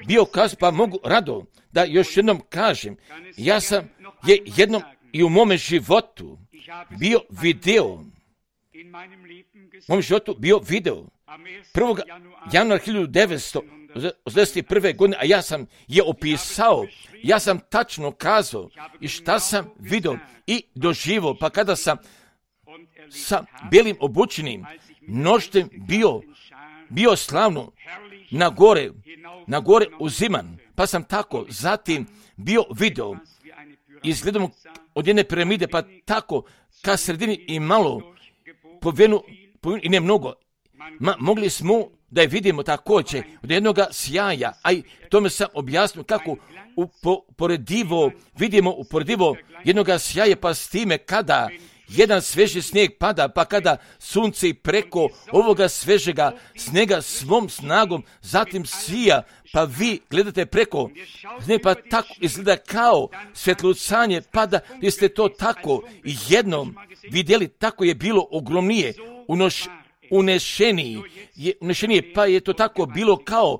bio kazao, pa mogu rado da još jednom kažem, ja sam jednom i u mome životu bio video 1. januara 1981. godine, a ja sam je opisao, ja sam tačno kazao i šta sam vidio i doživio, pa kada sam sa belim obučenim noštem bio slavno na gore uziman, pa sam tako zatim bio video izgledamo od jedne piramide, pa tako ka sredini i malo povenu i ne mnogo. Mogli smo da je vidimo također od jednoga sjaja, a i tome sam objasnio kako vidimo uporedivo jednoga sjaja, pa s time kada jedan sveži snijeg pada, pa kada sunce preko ovoga svežega snijega svom snagom zatim sija, pa vi gledate preko snijega, pa tako izgleda kao svjetlucanje pada, vi ste to tako jednom vidjeli, tako je bilo ogromnije, unešenije, pa je to tako bilo kao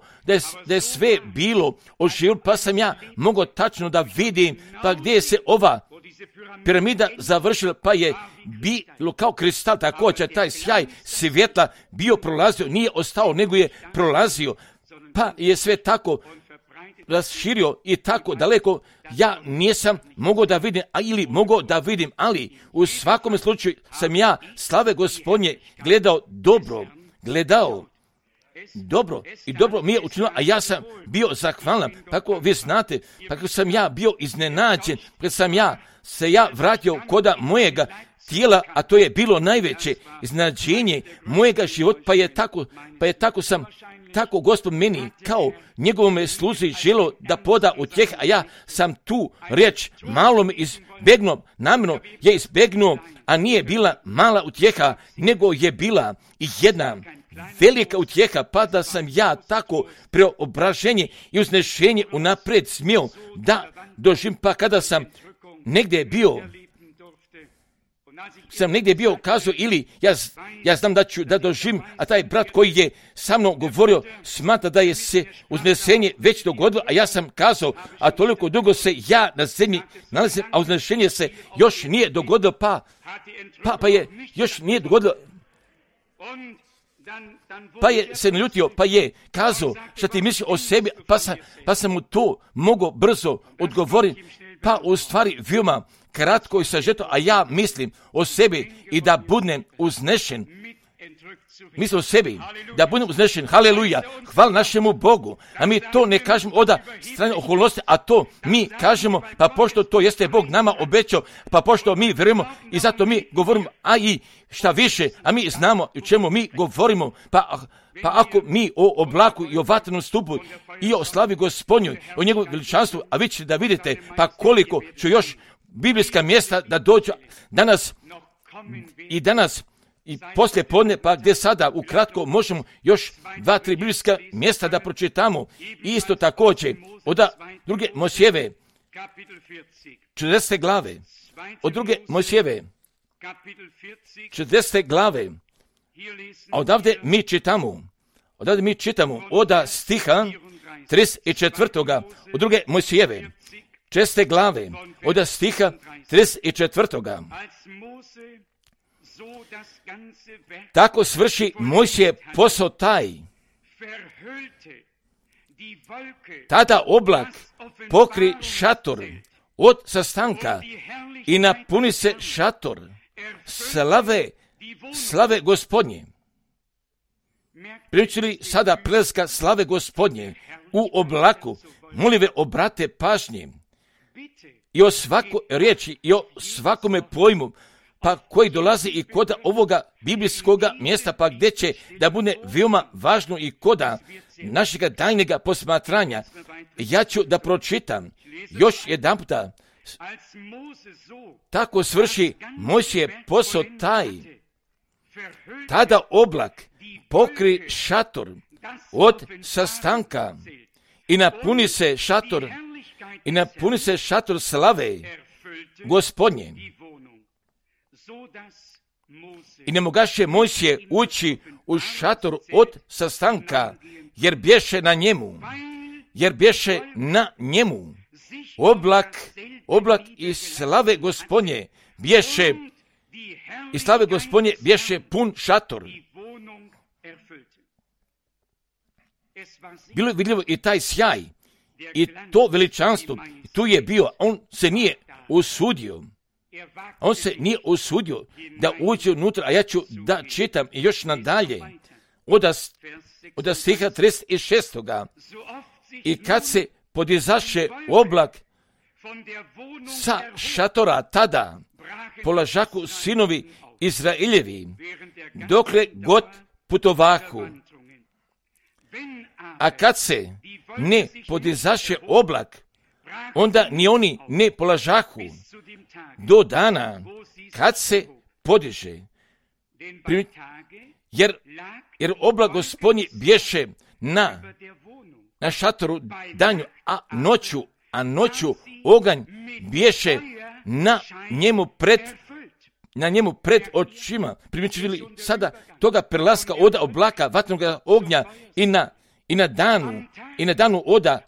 da je sve bilo oživjelo, pa sam ja mogao tačno da vidim, pa gdje se ova piramida završila, pa je bilo kao kristal, također taj sjaj svjetla bio prolazio, nije ostao, nego je prolazio, pa je sve tako raširio i tako daleko, ja nisam mogao da vidim, ali u svakom slučaju sam ja slave Gospodnje gledao dobro i dobro mi je učinilo, a ja sam bio zahvalan, tako vi znate, tako sam ja bio iznenađen, kad sam se vratio koda mojega tijela, a to je bilo najveće iznenađenje mojega života, pa je tako Gospod meni kao njegovome sluzi želo da poda utjeh, a ja sam tu riječ malo me izbegnuo, namjerno je izbegnuo, a nije bila mala utjeha, nego je bila jedna velika utjeha, pa da sam ja tako preobraženje i uznešenje unaprijed smio da doživim, pa kada sam negdje bio sam negdje bio kazao ili ja znam da doživim, a taj brat koji je sa mnom govorio smatra da je se uznesenje već dogodilo, a ja sam kazao, a toliko dugo se ja na zemlji nalazim, a uznesenje se još nije dogodilo, pa je još nije dogodilo. Pa je se naljutio, pa je kazao što ti misliš o sebi, pa sam mu to mogao brzo odgovoriti, pa u stvari veoma kratko i sažeto, a ja mislim o sebi i da budem uznešen. Mislim o sebi, da budem uznešen, haleluja, hvala našemu Bogu, a mi to ne kažemo od strane okolnosti, a to mi kažemo, pa pošto to jeste Bog nama obećao, pa pošto mi vjerujemo i zato mi govorimo, a i šta više, a mi znamo o čemu mi govorimo, pa ako mi o oblaku i o vatrenom stupu i o slavi Gospodnjoj, o njegovom veličanstvu, a vi ćete da vidite, pa koliko ću još biblijska mjesta da dođu danas i poslije podne, pa gdje sada ukratko možemo još 2-3 biblijska mjesta da pročitamo. I isto također od druge Mojsijeve 40. glave, od druge Mojsijeve 40. glave, a odavde mi čitamo od stiha 34. od druge Mojsijeve 40. glave, od stiha 34. Tako svrši Mojsije posao taj. Tada oblak pokri šator od sastanka i napuni se šator slave Gospodnje. Primijetili sada prelaska slave Gospodnje u oblaku, molive obrate pažnje i o svakoj riječi i o svakome pojmu, pa koji dolazi i koda ovoga biblijskoga mjesta, pa gdje će da bude veoma važno i koda našega daljnjega posmatranja. Ja ću da pročitam još jedan puta. Tako svrši Mojsije posao taj. Tada oblak pokri šator od sastanka i napuni se šator slave Gospodnje. I ne mogaše Mojsije ući u šator od sastanka, jer bješe na njemu oblak i slave Gospodnje bješe pun šator. Bilo je vidljivo i taj sjaj i to veličanstvo. Tu je bio, on se nije usudio da uđe unutra, a ja ću da čitam i još nadalje od stiha 36. I kad se podizaše oblak sa šatora, tada polažaku sinovi Izraeljevi, dokle god putovahu. A kad se ne podizaše oblak, onda ni oni ne polažahu do dana kad se podiže. Jer oblak Gospodnji bješe na šatoru danju, a noću oganj bješe na njemu pred očima. Primijetili sada toga prelaska od oblaka vatrenog ognja i na danu oda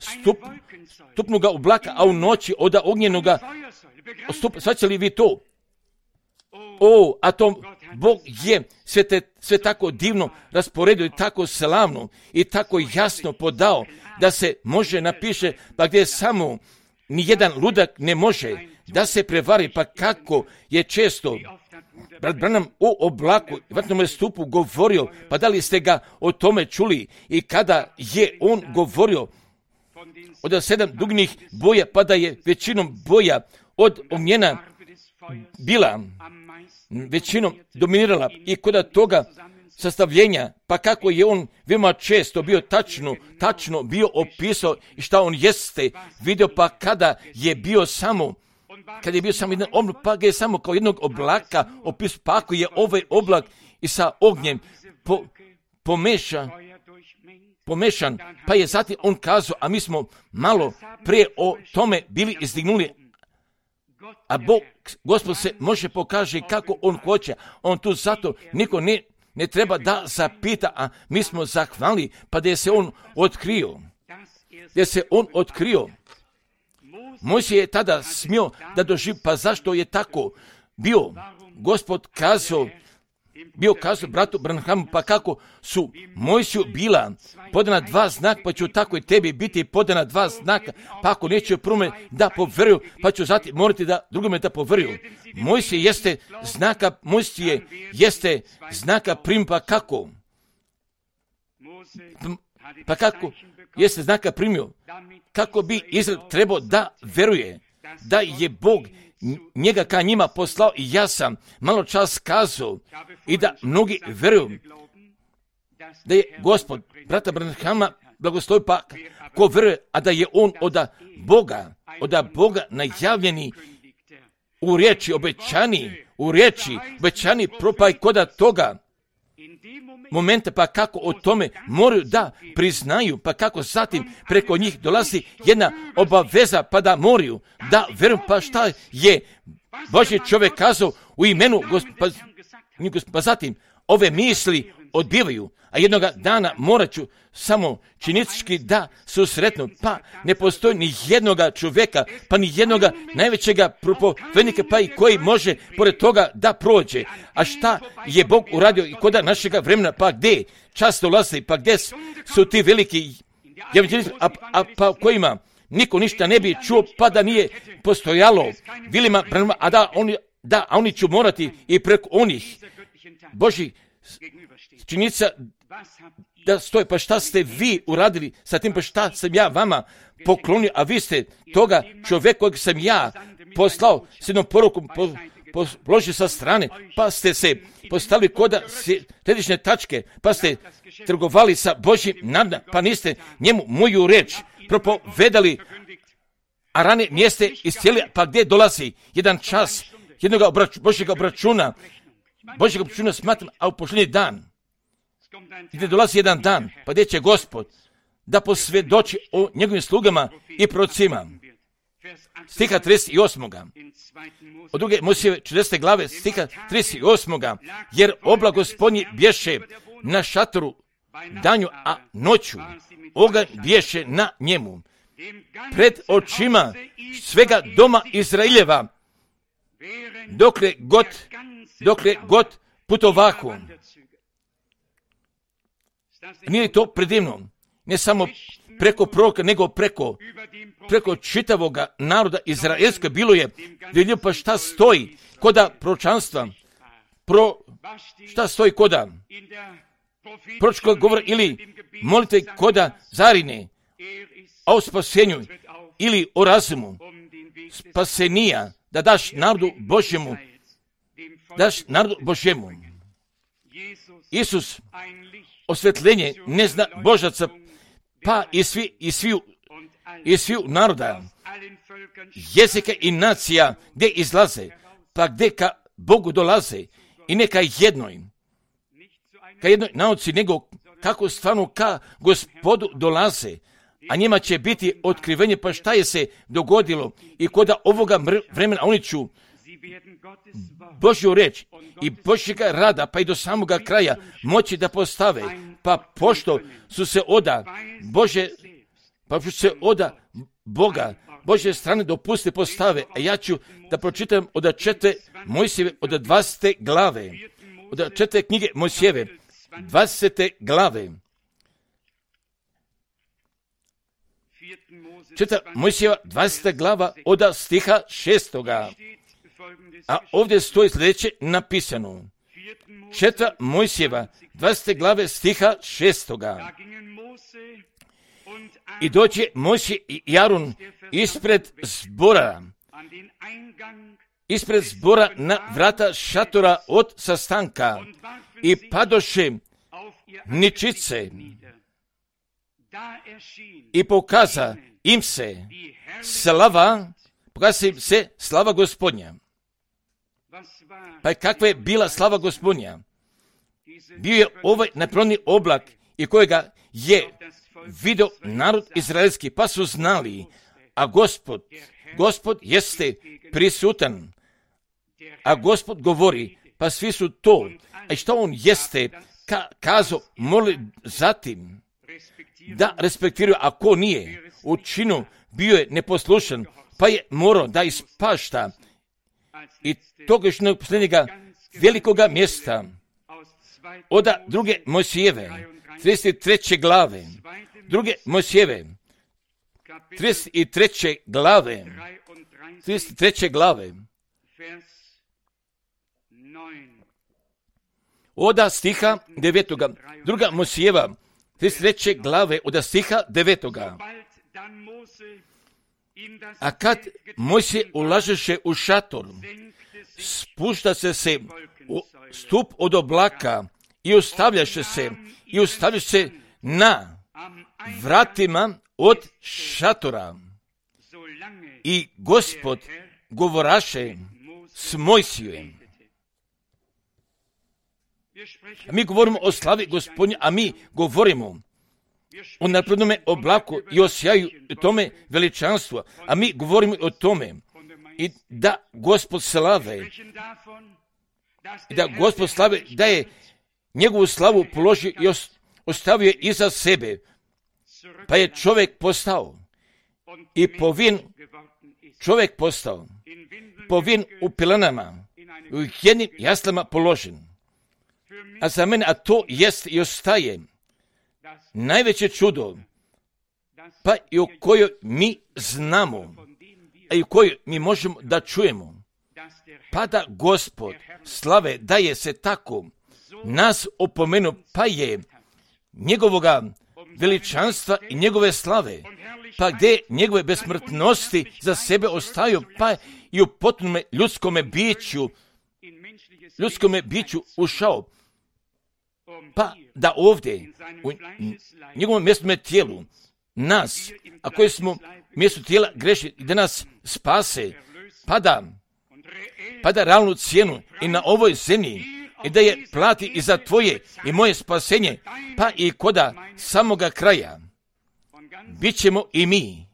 stupnoga oblaka, a u noći oda ognjenoga stupa. Svaćali vi to? A to Bog je sve tako divno rasporedio i tako slavno i tako jasno podao da se može napiše, pa gdje samo nijedan ludak ne može da se prevari, pa kako je često brat Branham o oblaku i vatrenom stupu govorio, pa da li ste ga o tome čuli i kada je on govorio od 7 dugnih boja, pa da je većinom boja od ognjena bila većinom dominirala i kod toga sastavljenja, pa kako je on veoma često bio tačno bio opisao i šta on jeste vidio, pa kada je bio samo jedan oblak, pa ga je samo kao jednog oblaka opisao, pa ako je ovaj oblak i sa ognjem pomešan, pa je zatim on kazao, a mi smo malo prije o tome bili izdignuli, A Gospod se može pokaže kako on hoće. On tu zato niko ne treba da zapita, a mi smo zahvalili, pa da je se on otkrio. Mojsije je tada smio da doživi, pa zašto je tako bio? Gospod kazao bratu Branhamu, pa kako su Mojsiju bila podana 2 znaka, pa ću tako i tebi biti podana 2 znaka, pa ako neće prvom da poveruju, pa ću zatim morati da drugome da poveruju. Mojsije jeste znaka prim, pa kako? Pa kako jeste znaka primio? Kako bi Izrael trebao da veruje da je Bog njega ka njima poslao, i ja sam malo čas kazao i da mnogi veruju da je Gospod brata Branhama blagoslovi, pa ko veruje, a da je on od Boga najavljeni u riječi obećani propaj koda toga momenta, pa kako o tome moraju da priznaju, pa kako zatim preko njih dolazi jedna obaveza, pa da moraju da veruju, pa šta je Božji čovjek kazao u imenu pa zatim ove misli odbivaju, a jednoga dana morat ću samo činički da susretnu, pa ne postoji ni jednoga čovjeka, pa ni jednoga najvećega propovednika, pa i koji može pored toga da prođe. A šta je Bog uradio i koda našega vremena, pa gdje čas dolazi, pa gdje su ti veliki evanđelisti, pa kojima niko ništa ne bi čuo, pa da nije postojalo Vilima, a oni ću morati i preko onih Božih činjenica da stoje, pa šta ste vi uradili sa tim, pa šta sam ja vama poklonio, a vi ste toga čovjeka kojeg sam ja poslao s jednom porukom položili sa strane, pa ste se postavili koda središnje tačke, pa ste trgovali sa Božjim narodom, pa niste njemu moju reč propovedali, a rane niste iscijeli, pa gdje dolazi jedan čas jednog Božjeg obračuna smatram, a u posljednji dan, gdje dolazi jedan dan, pa gdje će Gospod da posvjedoči o njegovim slugama i prorocima. Stiha 38. Od druge Mojsijeve 40. glave, stiha 38. Jer oblak Gospodnji bješe na šatoru danju, a noću oganj bješe na njemu. Pred očima svega doma Izraeljeva, dokle god putovahu. Nije to predivno, ne samo preko proroka, nego preko čitavoga naroda izraelska bilo je vidljivo, pa šta stoji koda proročanstva, šta stoji koda proročkog govora ili molite koda zarine, a o spasenju ili o razumu spasenija da daš narodu Božjemu. Isus osvetljenje ne zna Božaca, pa i sviju naroda, jezika i nacija gdje izlaze, pa gdje ka Bogu dolaze, i ne ka jednoj nauci, nego kako stvarno ka Gospodu dolaze, a njima će biti otkrivenje, pa šta je se dogodilo i koda ovoga vremena oni ću Božju reč i Božjega rada, pa i do samoga kraja moći da postave, pa pošto su se oda Boga, Božje strane dopuste postave, a ja ću da pročitam od 4. Mojsijeve, od 20. glave, od 4. knjige Mojsijeve, 20. glave. 4. Mojsijeva, 20. glava, od stiha 6. A ovdje stoji sljedeće napisano. 4. Mojsijeva, 20. glave, stiha 6. I dođe Mojsije i Aron ispred zbora na vrata šatora od sastanka i padoše ničice i pokaza im se slava Gospodnja. Pa kakva je bila slava Gospodnja? Bio je ovaj neproni oblak i kojega je vidio narod izraelski, pa su znali, a Gospod jeste prisutan, a Gospod govori, pa svi su to, a što on jeste kazao, molili zatim, da respektiraju, a ko nije u činu, bio je neposlušan, pa je morao da ispašta i toga još na posljednjega velikoga mjesta, od druge Mojsijeve, 33. glave, druge Mojsijeve, 33. glave, od stiha 9. Druga Mojsijeva, 33. glave, od stiha 9. A kad Mojsije ulažeše u šator, spušta se u stup od oblaka i ostavljaše se na vratima od šatora. I Gospod govoraše s Mojsijem. Mi govorimo o slavi Gospodnje, a mi govorimo o naprednome oblaku i o sjaju tome veličanstvu, a mi govorimo o tome i da Gospod slave, da je njegovu slavu položio i ostavio je iza sebe, pa je čovjek postao i povin u pilanama, u jednim jaslama položen. A za mene, a to jest i ostaje najveće čudo, pa i o kojoj mi znamo, a i o kojoj mi možemo da čujemo, pa da Gospod slave daje se tako nas opomenu, pa je njegovoga veličanstva i njegove slave, pa gdje njegove besmrtnosti za sebe ostaju, pa i u potpunome ljudskome biću ušao, pa da ovdje u njegovom mjestome tijelu nas, a koji smo mjesto tijela grešni, da nas spase, pa da realnu cijenu i na ovoj zemlji i da je plati i za tvoje i moje spasenje, pa i koda samoga kraja. Bićemo i mi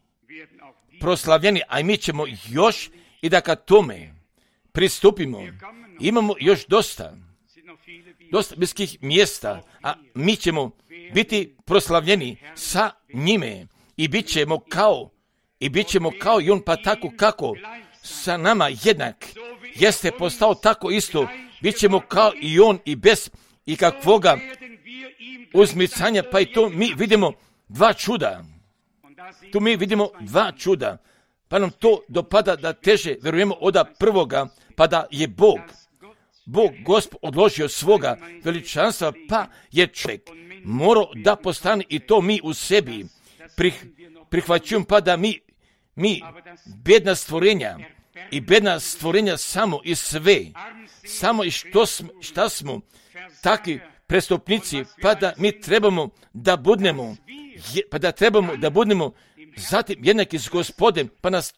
proslavljeni, a mi ćemo još i da kad tome pristupimo, imamo još dosta bliskih mjesta, a mi ćemo biti proslavljeni sa njime i bit ćemo kao i on, pa tako kako sa nama jednak jeste postao tako isto, bit ćemo kao i on i bez ikakvoga uzmicanja, pa i to mi vidimo dva čuda. Pa nam to dopada da teže vjerujemo od prvoga, pa da je Bog Gospod odložio svoga veličanstva, pa je čovjek morao da postane i to mi u sebi prihvaćujemo, pa da mi bedna stvorenja samo i sve, samo i šta smo takvi prestupnici, pa da mi trebamo da budemo zatim jednaki s Gospodem, pa nas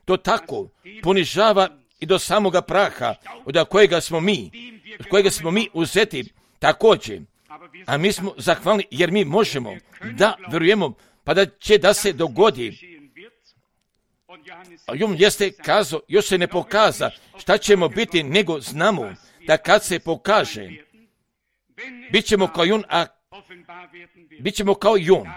to tako ponižava i do samoga praha, od kojega smo mi uzeti također. A mi smo zahvalni jer mi možemo da vjerujemo, pa da će da se dogodi. A on jeste kazao, još se ne pokaza šta ćemo biti, nego znamo da kad se pokaže, bit ćemo kao i on.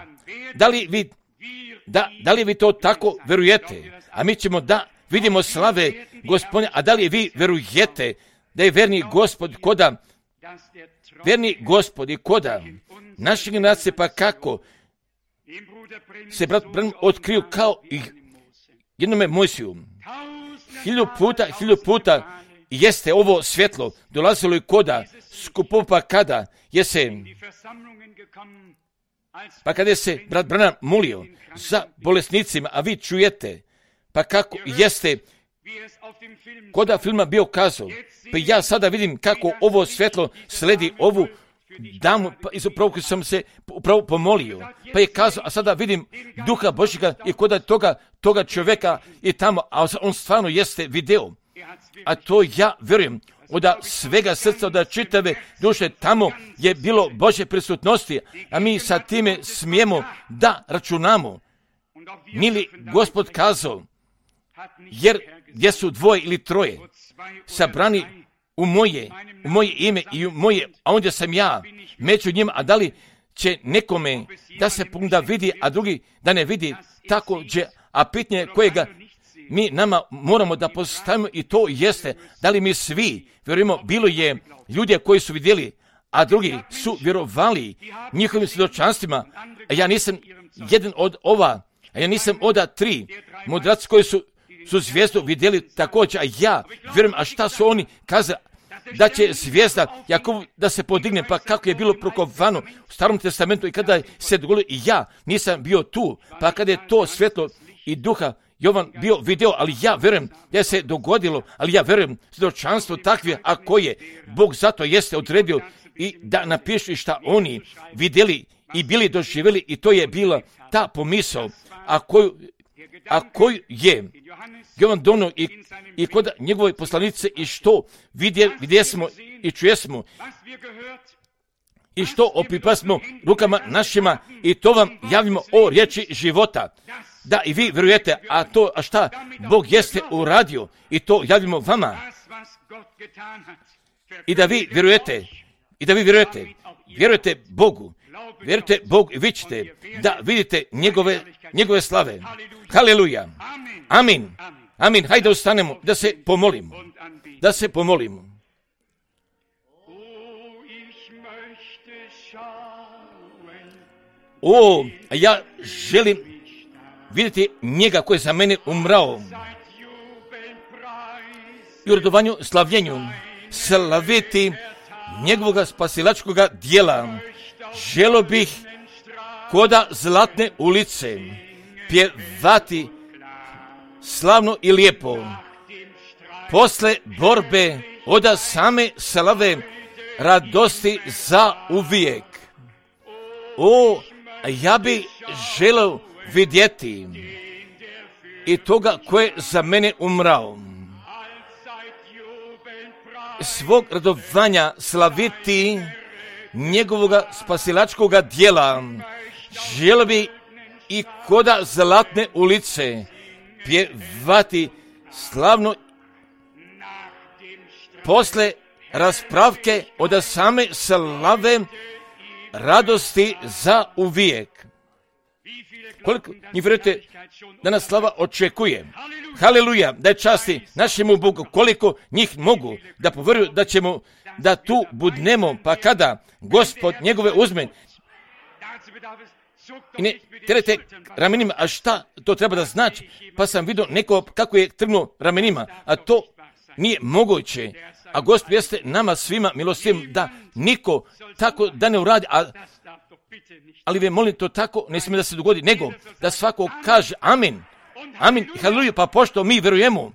Da li vi to tako vjerujete? A mi ćemo da vidimo slave Gospodnja, a da li vi vjerujete da je verni Gospod i koda naše generacije, pa kako se brat Branham otkriju kao i jednome Mojsiju. 1000 puta jeste ovo svjetlo dolazilo i koda skupova, pa kada je se brat Branham molio za bolesnicima, a vi čujete, pa kako jeste koda filma bio kazao, pa ja sada vidim kako ovo svjetlo sledi ovu damu, pa izupravo koji sam se upravo pomolio, pa je kazao, a sada vidim Duha Božjega i koda toga čovjeka i tamo, a on stvarno jeste video, a to ja vjerujem, od svega srca, od čitave duše, tamo je bilo Božje prisutnosti, a mi sa time smijemo da računamo Nije li Gospod kazao, jer gdje su dvoje ili troje sabrani u moje ime i u moje, a ondje sam ja među njima, a da li će nekome da se da vidi, a drugi da ne vidi, tako će, a pitanje kojega mi nama moramo da postavimo i to jeste, da li mi svi vjerujemo, bilo je ljudi koji su vidjeli, a drugi su vjerovali njihovim svjedočanstvima, a ja nisam jedan od ova, a ja nisam od tri mudraci koji su zvijezdu vidjeli također, a ja vjerujem, a šta su oni kazali, da će zvijezda Jakov da se podigne, pa kako je bilo prokovano u Starom testamentu i kada se dogodilo, i ja nisam bio tu, pa kada je to svjetlo i duha Jovan bio video, ali ja vjerujem da se dogodilo, ali ja vjerujem svjedočanstvo takve, a koje Bog zato jeste odredio i da napišu šta oni vidjeli i bili doživjeli, i to je bila ta pomisao, a koju je Jovan donio i kod njegove poslanice, i što vidjesmo i čujesmo i što opipasmo rukama našima, i to vam javimo o riječi života, da i vi vjerujete, a šta Bog jeste uradio, i to javimo vama, i da vi vjerujete Bogu, i vi ćete da vidite njegove slave. Haleluja. Amin. Hajde ustanemo da se pomolimo. Ja želim vidjeti njega koji je za mene umrao i u radovanju slavljenju slaviti njegovog spasilačkoga dijela. Želio bih koda Zlatne ulice pjevati slavno i lijepo posle borbe od same slave radosti za uvijek. Ja bi želio vidjeti i toga koje je za mene umrao, svog radovanja slaviti njegovog spasilačkoga dijela. Želio bi i koda Zlatne ulice pjevati slavno posle raspravke od same slave radosti za uvijek. Koliko njih vjerujete da nas slava očekuje? Haleluja, da je časti našemu Bogu. Koliko njih mogu da povjeruju da ćemo da tu budnemo, pa kada Gospod njegove uzme i ne terete ramenima, a šta to treba da znači? Pa sam vidio neko kako je trgnuo ramenima, a to nije moguće. A Gospod jeste nama svima milostivim da niko tako da ne uradi, ali ve molim, to tako ne smije da se dogodi, nego da svako kaže amin. Haleluja, pa pošto mi vjerujemo,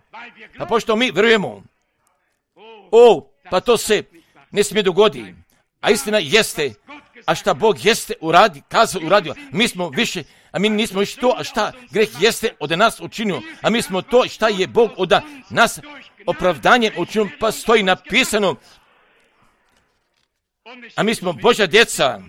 pa to se ne smije dogodi. A istina jeste, a šta Bog jeste uradio, mi smo više, a mi nismo više to, a šta greh jeste od nas učinio, a mi smo to šta je Bog od nas opravdanjem učinio, pa stoji napisano, a mi smo Božja djeca.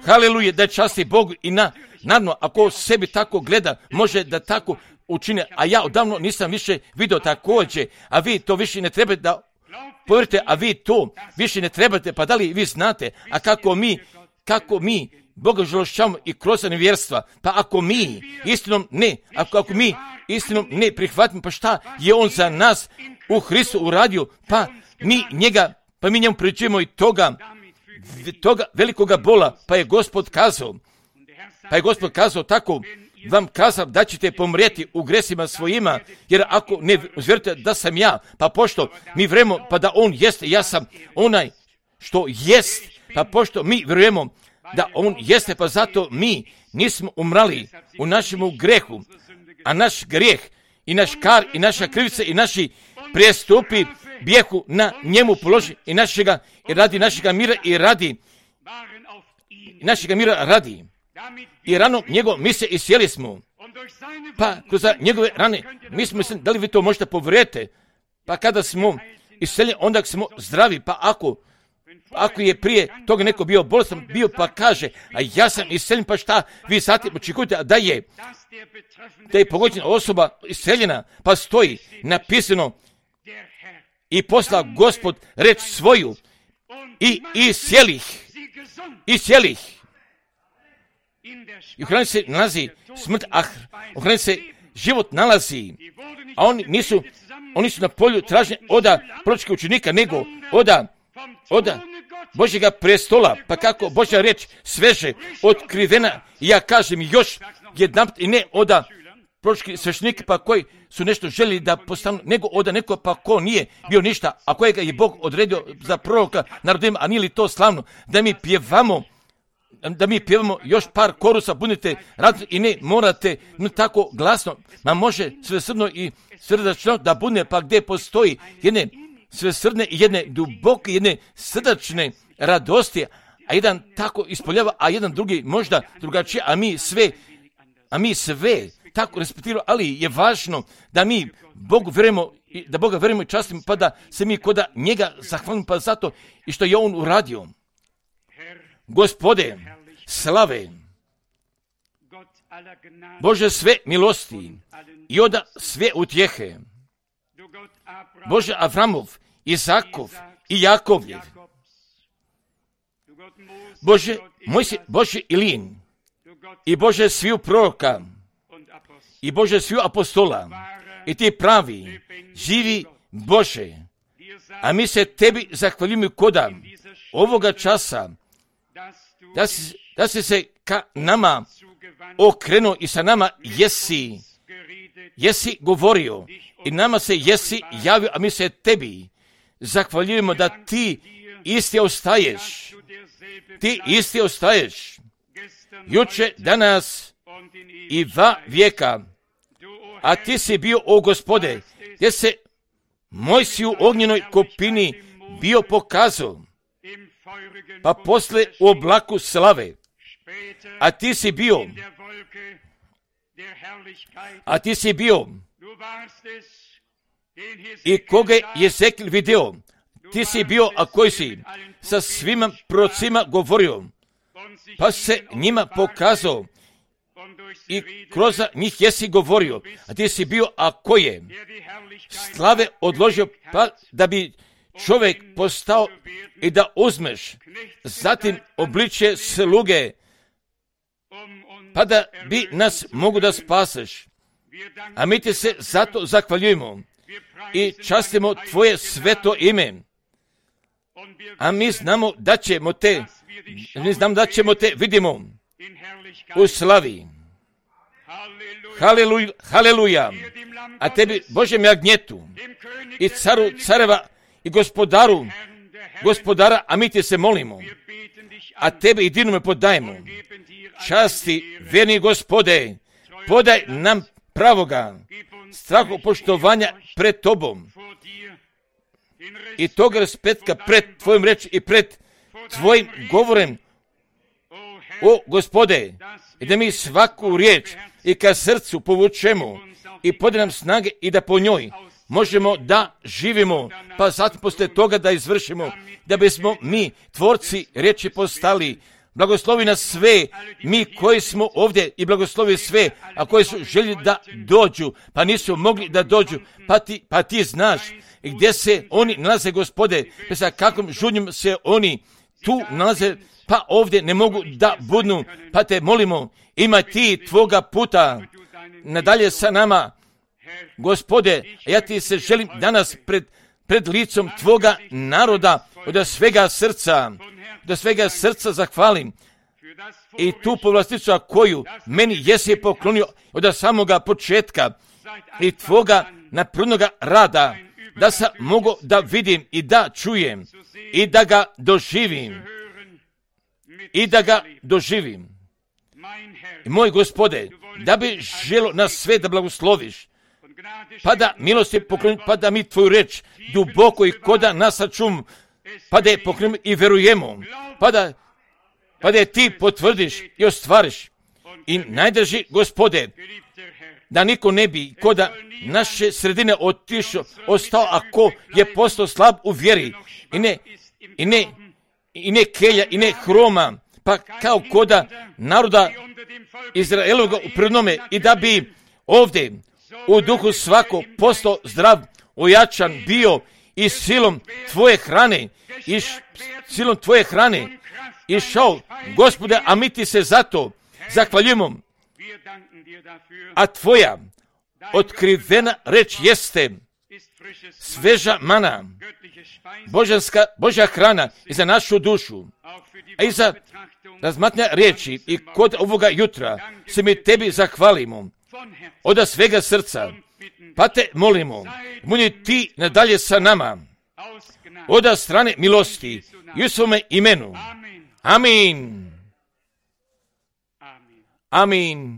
Haleluja, da časti Bogu i naravno, ako sebi tako gleda, može da tako učine, a ja odavno nisam više vidio također, a vi to više ne trebate da povjerite, a vi to više ne trebate, pa da li vi znate, a kako mi Boga žalošćavamo i kroz nevjerstva, pa ako mi istinom ne prihvatimo, pa šta je on za nas u Hristu uradio, pa mi njemu pričujemo i toga velikoga bola, pa je Gospod kazao tako, vam kazao da ćete pomrijeti u gresima svojima, jer ako ne vjerujete da sam ja, pa pošto mi vjerujemo pa da on jeste, ja sam onaj što jest, pa pošto mi vjerujemo da on jeste, pa zato mi nismo umrali u našemu grehu, a naš grijeh i naš kar i naša krivica i naši prijestupi bijehu na njemu položi i radi našega mira i ranom njegov mi se isjeli smo, pa kroz njegove rane mi smo mislili, da li vi to možete povjerujete, pa kada smo isjeljeni onda smo zdravi, pa ako je prije toga neko bio bolestan, bio pa kaže, a ja sam isceljen, pa šta, vi zatim očekujete da je pogođena osoba isceljena, pa stoji napisano i posla Gospod reč svoju i iscelih. I u hrani se nalazi smrt, a u hrani se život nalazi, a oni su na polju tražnje oda proročkih učenika, nego oda Božjega prestola, pa kako Božja reč sveže, otkrivena, i ja kažem još jedanput, i ne oda proročkih sveštenika, pa koji su nešto željeli da postanu, nego oda neko pa ko nije bio ništa, a kojega je Bog odredio za proroka narodima, a nije li to slavno, da mi pjevamo još par korusa, budite radni i ne morate tako glasno, ma može svesrdno i srdačno da bude, pa gdje postoji jedne svesrdne i jedne duboke, jedne srdačne radosti, a jedan tako ispoljava, a jedan drugi možda drugačije, a mi sve tako respektiramo, ali je važno da mi Bogu vjerujemo, da Boga vjerujemo i častimo, pa da se mi kod njega zahvalimo, pa zato i što je on uradio. Gospode, slave, Bože sve milosti i onda sve utjehe, Bože Avramov, Izakov i Jakovljev, Bože Mojsije, Bože Ilin i Bože sviju proroka i Bože sviju apostola i ti pravi, živi Bože, a mi se tebi zahvaljujemo koda ovoga časa, da si se ka nama okrenuo i sa nama jesi govorio i nama se jesi javio, a mi se tebi zahvaljujemo da ti isti ostaješ, juče, danas i va vijeka, a ti si bio, o Gospode, gdje se Mojsiju u ognjenoj kopini bio pokazao, pa posle u oblaku slave, a ti si bio i koga je Jezekil video, ti si bio, a koji si sa svima prorocima govorio, pa se njima pokazao i kroz njih jesi govorio, a ti si bio, a koji je slave odložio, pa da bi čovjek postao i da uzmeš zatim obličje sluge, pa da bi nas mogu da spaseš. A mi ti se zato zahvaljujemo i častimo tvoje sveto ime. A mi znamo da ćemo te vidimo u slavi. Haleluja. A tebi, Božem jagnjetu i caru careva i gospodara, a mi ti se molimo, a tebe i dinome podajemo. Časti, vjerni Gospode, podaj nam pravoga strahopoštovanja pred tobom i toga respekta pred tvojim reči i pred tvojim govorem, o Gospode, i da mi svaku riječ i ka srcu povučemo i podaj nam snage i da po njoj možemo da živimo, pa zatim poslije toga da izvršimo, da bismo mi tvorci riječi postali. Blagoslovi nas sve, mi koji smo ovdje, i blagoslovi sve, a koji su željeli da dođu, pa nisu mogli da dođu, pa ti znaš gdje se oni nalaze, Gospode, pa sa kakvom žudnjom se oni tu nalaze, pa ovdje ne mogu da budnu, pa te molimo, ima ti tvoga puta nadalje sa nama, Gospode, ja ti se želim danas pred licom tvoga naroda od svega srca zahvalim i tu povlasticu koju meni jesi poklonio od samoga početka i tvoga naprudnoga rada, da sam mogu da vidim i da čujem i da ga doživim. I moj Gospode, da bi želo nas sve da blagosloviš, pa da milosti poklonimo, pa da mi tvoju reč duboko i koda nas sačum, pa da je poklonimo i verujemo, pa da je ti potvrdiš i ostvariš. I najdrži, Gospode, da niko ne bi koda naše sredine ostao ako je postao slab u vjeri i ne kelja i ne hroma, pa kao koda naroda Izraeloga u prvnome, i da bi ovdje u duhu svako postao zdrav, ojačan bio i silom tvoje hrane, silom tvoje hrane išao, Gospode, a mi ti se zato zahvaljujemo. A tvoja otkrivena reč jeste sveža mana, Božja hrana i za našu dušu, a i za razmatranja riječi. I kod ovoga jutra se mi tebi zahvalimo od svega srca, pa te molimo, budi ti nadalje sa nama, od strane milosti i u svome imenu. Amin. Amin.